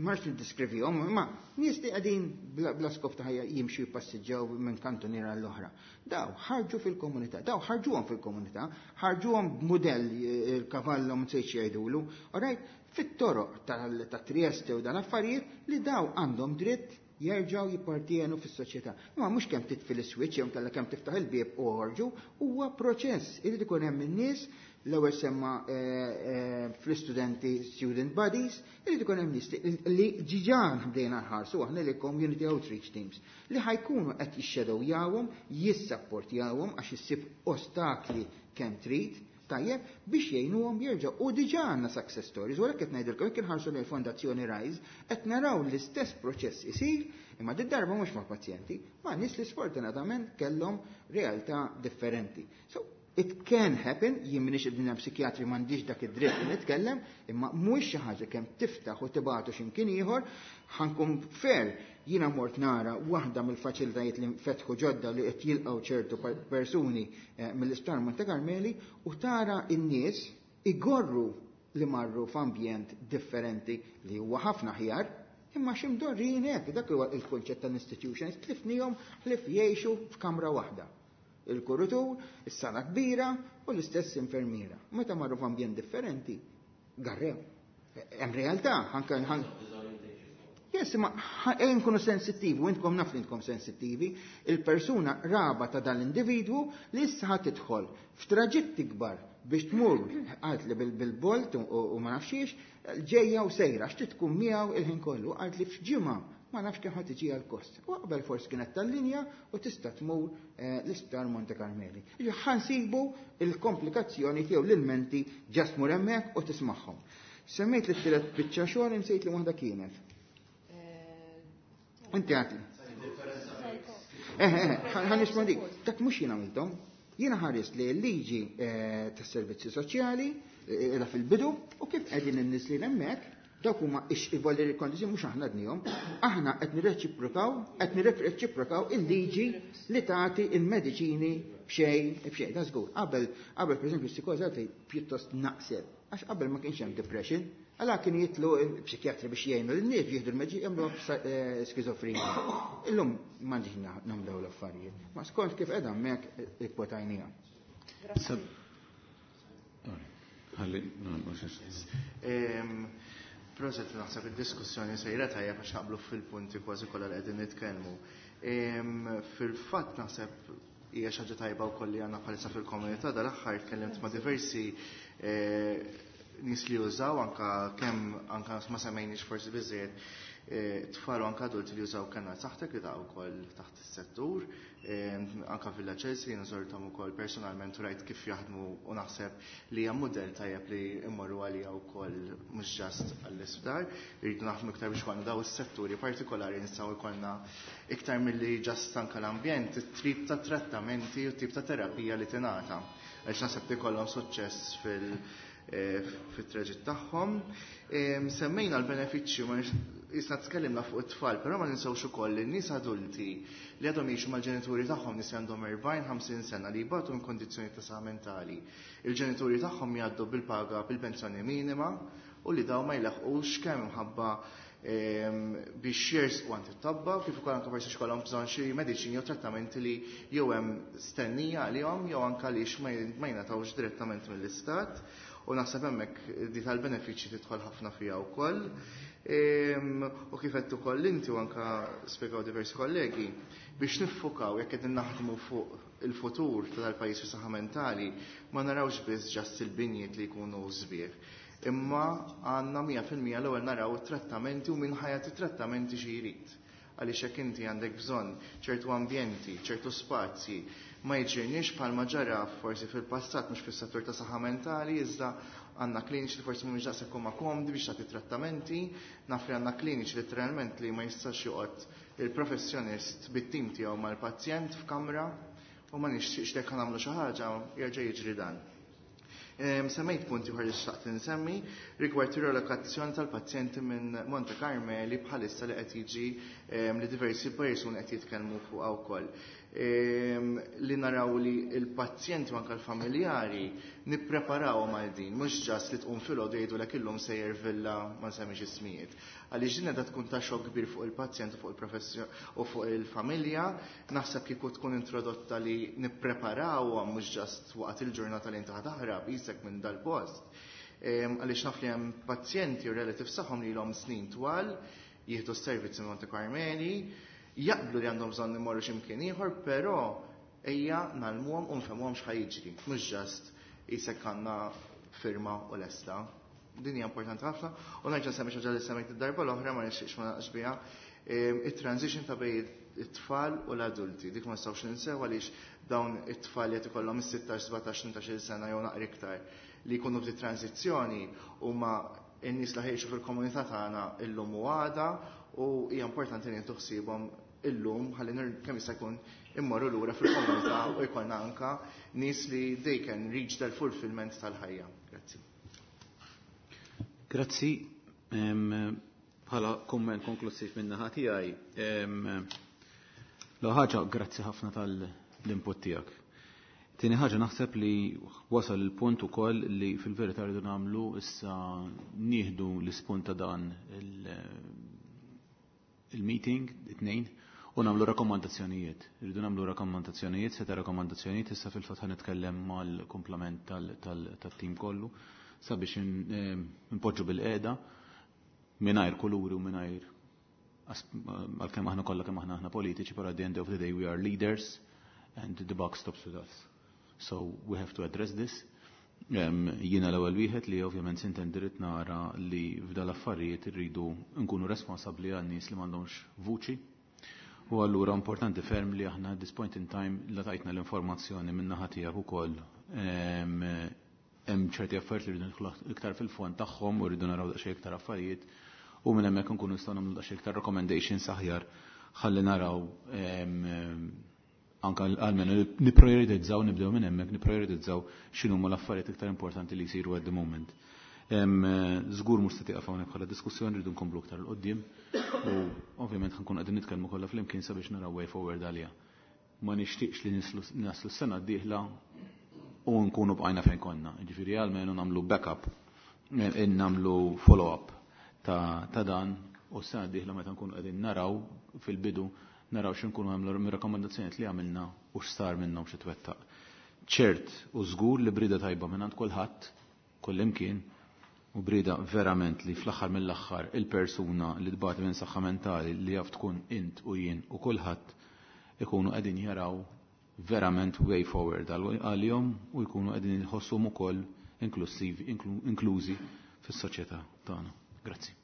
Ma rridx niddeskrivihom, imma nies li qegħdin bla, bla skop ta' ħajja jimxu jippassiġġaw minn kantuniera l-oħra. Daw ħarġu fil-komunità, daw ħarġuhom fil-komunità, ħarġuhom b'mudell eh, il-kavallo msejx jgħidulu, alright, fit-toroq tal- ta' Trieste u dan affarijiet li daw għandhom dritt jerġgħu jippartienu fis-soċjetà. Imma mhux kemm titfi l-switch jew kellha kemm tiftaħ il-bieb u ħorġu, huwa proċess. Irid ikun hemm in-nies l-ewwel semma eh, eh, fl-istudenti student bodies, irid ikun hemm nies li- li diġà bdejna nħarsu aħna li community outreach teams li ħa jkunu qed jixxedowjawhom, jissapportjawhom għax issib ostakli kemm trid, tajjeb biex jgħinuhom jerġgħu. U diġà għandna success stories, u għalhekk qed ngħidilkom jekk inħarsu lejn Fondazzjoni Rise, qed naraw l-istess proċess isir, imma din darba mhux ma' pazjenti, ma' nies li sfortunatament kellhom realtà differenti. So, it can happen, jien m'iniex id-dinja psikjatri m'għandix dak id-dritt li nitkellem, imma mhux xi ħaġa kemm tiftaħ u tibgħatu x'imkien ieħor, ħa nkun fair, jiena mort nara waħda mill-faċilitajiet li fetħu ġodda li qed jilqgħu ċertu per- persuni eh, mill-Isptar Monte Carmeli u tara n-nies igorru li marru f'ambjent differenti li huwa ħafna aħjar, imma x'imdorrin hekk, dak huwa il-konċett tal-institutions, tlifnihom ħlief jgħixu f'kamra waħda. Il-kuritur, is-sala kbira u l-istess infermiera. Meta marru f'ambjent differenti, garrew. Hemm realtà, anke ħan Yes, ma ejja nkunu sensittivi, u intkom naf li intkom sensittivi, il-persuna raba ta' dan l-individwu li issa ħa tidħol f'traġitti kbar biex tmur għalt li bil-Bolt u u ma nafxiex, ġejja u sejra, għax tkun miegħu il-ħin kollu, għalt li f'ġimgħa ma nafx kemm ħa tiġi għal-kost. U qabel forsi kienet tal-linja u tista' tmur eh, l-isptar Monte Carmeli. Ħa nsibu il-komplikazzjoni tiegħu l-ilmenti ġast tmur hemmhekk u tismagħhom. Semmejt li t-tielet biċċa xogħol insejt li waħda kienet. Inti għati. Eh, eh, ħa nirrispondik. Dak mhux jien għamilthom. Jiena ħares li l-liġi eh, tas-servizzi soċjali eh, fil-bidu u kif qegħdin in-nies li hemmhekk dawk huma ix-voluntary condition mhux aħna dnihom, aħna qed nirreċiprokaw, qed nirreċiprokaw il-liġi li tagħti il-mediċini b'xejn b'xejn, da żgur. Qabel qabel pereżempju s-psikoża pjuttost naqset, għax qabel ma kienx hemm depression, għala kien jitlu psikjatri biex jgħinu l-nies jieħdu l-mediċini jagħmlu skizofrenija. Illum m'għandix nagħmlu l-affarijiet. Ma skont kif qiegħda hemmhekk ikkwotajniha. Ħalli, no, mhux Em, Proset, naħseb id-diskussjoni sejra tajjeb għax naqblu fil-punti kważi kollha li qegħdin nitkellmu. Em, Fil-fatt naħseb hija xi ħaġa tajba wkoll li għandna bħalissa fil-komunità dal-aħħar tkellimt ma' diversi eh, nies li jużaw anka kemm anka ma semmejniex forsi biżejjed eh, tfal u anka adulti li jużaw Kenna Saħtek li ta' wkoll taħt is-settur, eh, anka Villa Chelsea jiena żorthom ukoll personalment u rajt kif jaħdmu u naħseb li hija mudell tajjeb li immorru għalija wkoll mhux just għall-isptar, irridu naħdmu iktar biex ikollna daw is-setturi partikolari nistgħu jkollna iktar milli just anka l-ambjent, it-tip ta' trattamenti u tip ta' terapija li tingħata. Għax naħseb li jkollhom suċċess fil- eh, fit-traġitt tagħhom. Em, Semmejna l-benefiċċju ma nix- jisna tkellimna fuq it-tfal, però ma ninsewx ukoll li n-nies adulti li għadhom jgħixu mal-ġenituri tagħhom nies li għandhom erbgħin ħamsin sena li jbatu minn kondizzjoni ta' saħħa mentali. Il-ġenituri tagħhom jgħaddu bil-paga bil-pensjoni minima u li daw ma jlaħqux kemm imħabba biex jersqu għand it-tobba, kif ukoll anke forsi x'kollhom bżonn xi mediċini jew trattamenti li jew hemm stennija għalihom jew anke għaliex ma jingħatawx direttament mill-istat, u naħseb hemmhekk di tal-benefiċċji tidħol ħafna fiha wkoll. U kif qed ukoll inti u anke spjegaw diversi kollegi, biex niffukaw jekk qegħdin naħdmu fuq il-futur tal-pajjiż fi saħħa mentali, ma narawx biss ġast il-binjiet li jkunu sbieħ. Imma għandna mija fil-mija l-ewwel naraw it-trattamenti u min ħajat it-trattamenti xi jrid. Għaliex jekk inti għandek bżonn ċertu ambjenti, ċertu spazji, ma jiġirniex bħalma ġara forsi fil-passat mhux fis-settur ta' saħħa mentali, iżda għandna kliniċi li forsi mhumiex daqshekk huma komdi biex tagħti trattamenti, naf li għandna kliniċi letteralment li ma jistax joqgħod il-professjonist bit-tim tiegħu mal-pazjent f'kamra u ma nixtieqx li jekk nagħmlu xi ħaġa jerġa' jiġri dan. Semmejt punti oħra li xtaqt insemmi rigward ir-relokazzjoni tal-pazjenti minn Monte Carmeli bħalissa li qed jiġi li diversi persuni qed jitkellmu fuqha wkoll. Li naraw li l-pazjenti u anke l-familjari nippreparawhom għal din, mhux ġast li tqum filgħodu jgħidulek illum sejjer villa ma nsemmix ismijiet. Għaliex din qiegħda tkun ta' xokk kbir fuq il-pazjent u fuq il-professjon u fuq il-familja, naħseb kieku tkun introdotta li nippreparawhom mhux ġast waqt il-ġurnata li inti taħrab isek minn dal-post. Għaliex naf li hemm pazjenti u relatives tagħhom li ilhom snin twal jieħdu s-servizzi minn Monte Carmeli, jaqblu li għandhom bżonn imorru x'imkien ieħor, però ejja nagħlmuhom u nfehmuhom x'ħa jiġri, mhux ġast isek għandna firma u lesta. Din hija importanti ħafna, u nerġa' nsemmi xi ħaġa li semmejt id-darba l-oħra ma nixtieqx ma naqx biha, it-transition ta' bejn it-tfal u l-adulti. Dik ma nistgħux ninsew għaliex dawn it-tfal li qed ikollhom is-sittax, sbatax, tmintax-il sena jew naqra iktar li jkunu f'di transizzjoni huma n-nies li ħejxu fil-komunità tagħna illum u għada, u hija importanti li nieħdu ħsiebhom illum ħalli kemm jista' jkun immorru lura fil-komunità u jkollna anka nies li they can reach their fulfillment tal-ħajja. Grazzi. Grazzi. Bħala komment konklusiv minn naħa tiegħi, l ħaġa grazzi ħafna tal-input tiegħek. Tieni ħaġa naħseb li wasal il-punt ukoll li fil-verità rridu nagħmlu issa nieħdu l-ispunt ta' dan il-meeting, it-tnejn, u nagħmlu rakkomandazzjonijiet. Rridu nagħmlu rakkomandazzjonijiet, seta' rakkomandazzjonijiet, issa fil-fatt ħa nitkellem mal-kumplament tal-tim kollu sabiex npoġġu bil-qiegħda mingħajr kuluri u mingħajr għalkemm aħna kollha kemm aħna aħna politiċi, però at the end of the day we are leaders and the buck stops with us. So we have to address this. Jiena l-ewwel wieħed li ovvjament sintendi nara li f'dal affarijiet irridu nkunu responsabbli għan nies li m'għandhomx vuċi. U allura importanti ferm li aħna at this point in time la tajtna l-informazzjoni minn naħa tiegħek ukoll hemm ċerti affarijiet li rridu nidħlu iktar fil-fond tagħhom u rridu naraw daqsxejn iktar affarijiet u minn hemmhekk nkunu nistgħu nagħmlu daqsxejn iktar recommendations aħjar ħalli naraw anka għalmenu niprioritizzaw, nibdew minn hemmhekk niprioritizzaw x'inhuma l-affarijiet iktar importanti li jsiru at the moment. Żgur mhux se tieqaf hawnhekk bħala diskussjoni, rridu nkomplu iktar 'l quddiem u ovvjament ħankun qegħdin nitkellmu kollha flimkien sabiex naraw way forward għaliha. Ma nixtieqx li naslu s-sena d-dieħla u nkunu bqajna fejn konna. Ġifieri għalmenu nagħmlu backup, nagħmlu follow-up ta' dan u s-sena d-dieħla meta nkunu qegħdin naraw fil-bidu naraw x'inkunu għamlu mir-rakkomandazzjonijiet li għamilna u x'sar minnhom xi twettaq. Ċert u żgur li brida tajba minn għand kulħadd, kullimkien, u brida verament li fl-aħħar mill-aħħar il-persuna li tbati minn saħħa mentali li jaf tkun int u jien u kulħadd ikunu qegħdin jaraw verament way forward għalihom u jkunu qegħdin jħossuhom ukoll inklusivi, inklużi fis-soċjetà tagħna. Grazzi.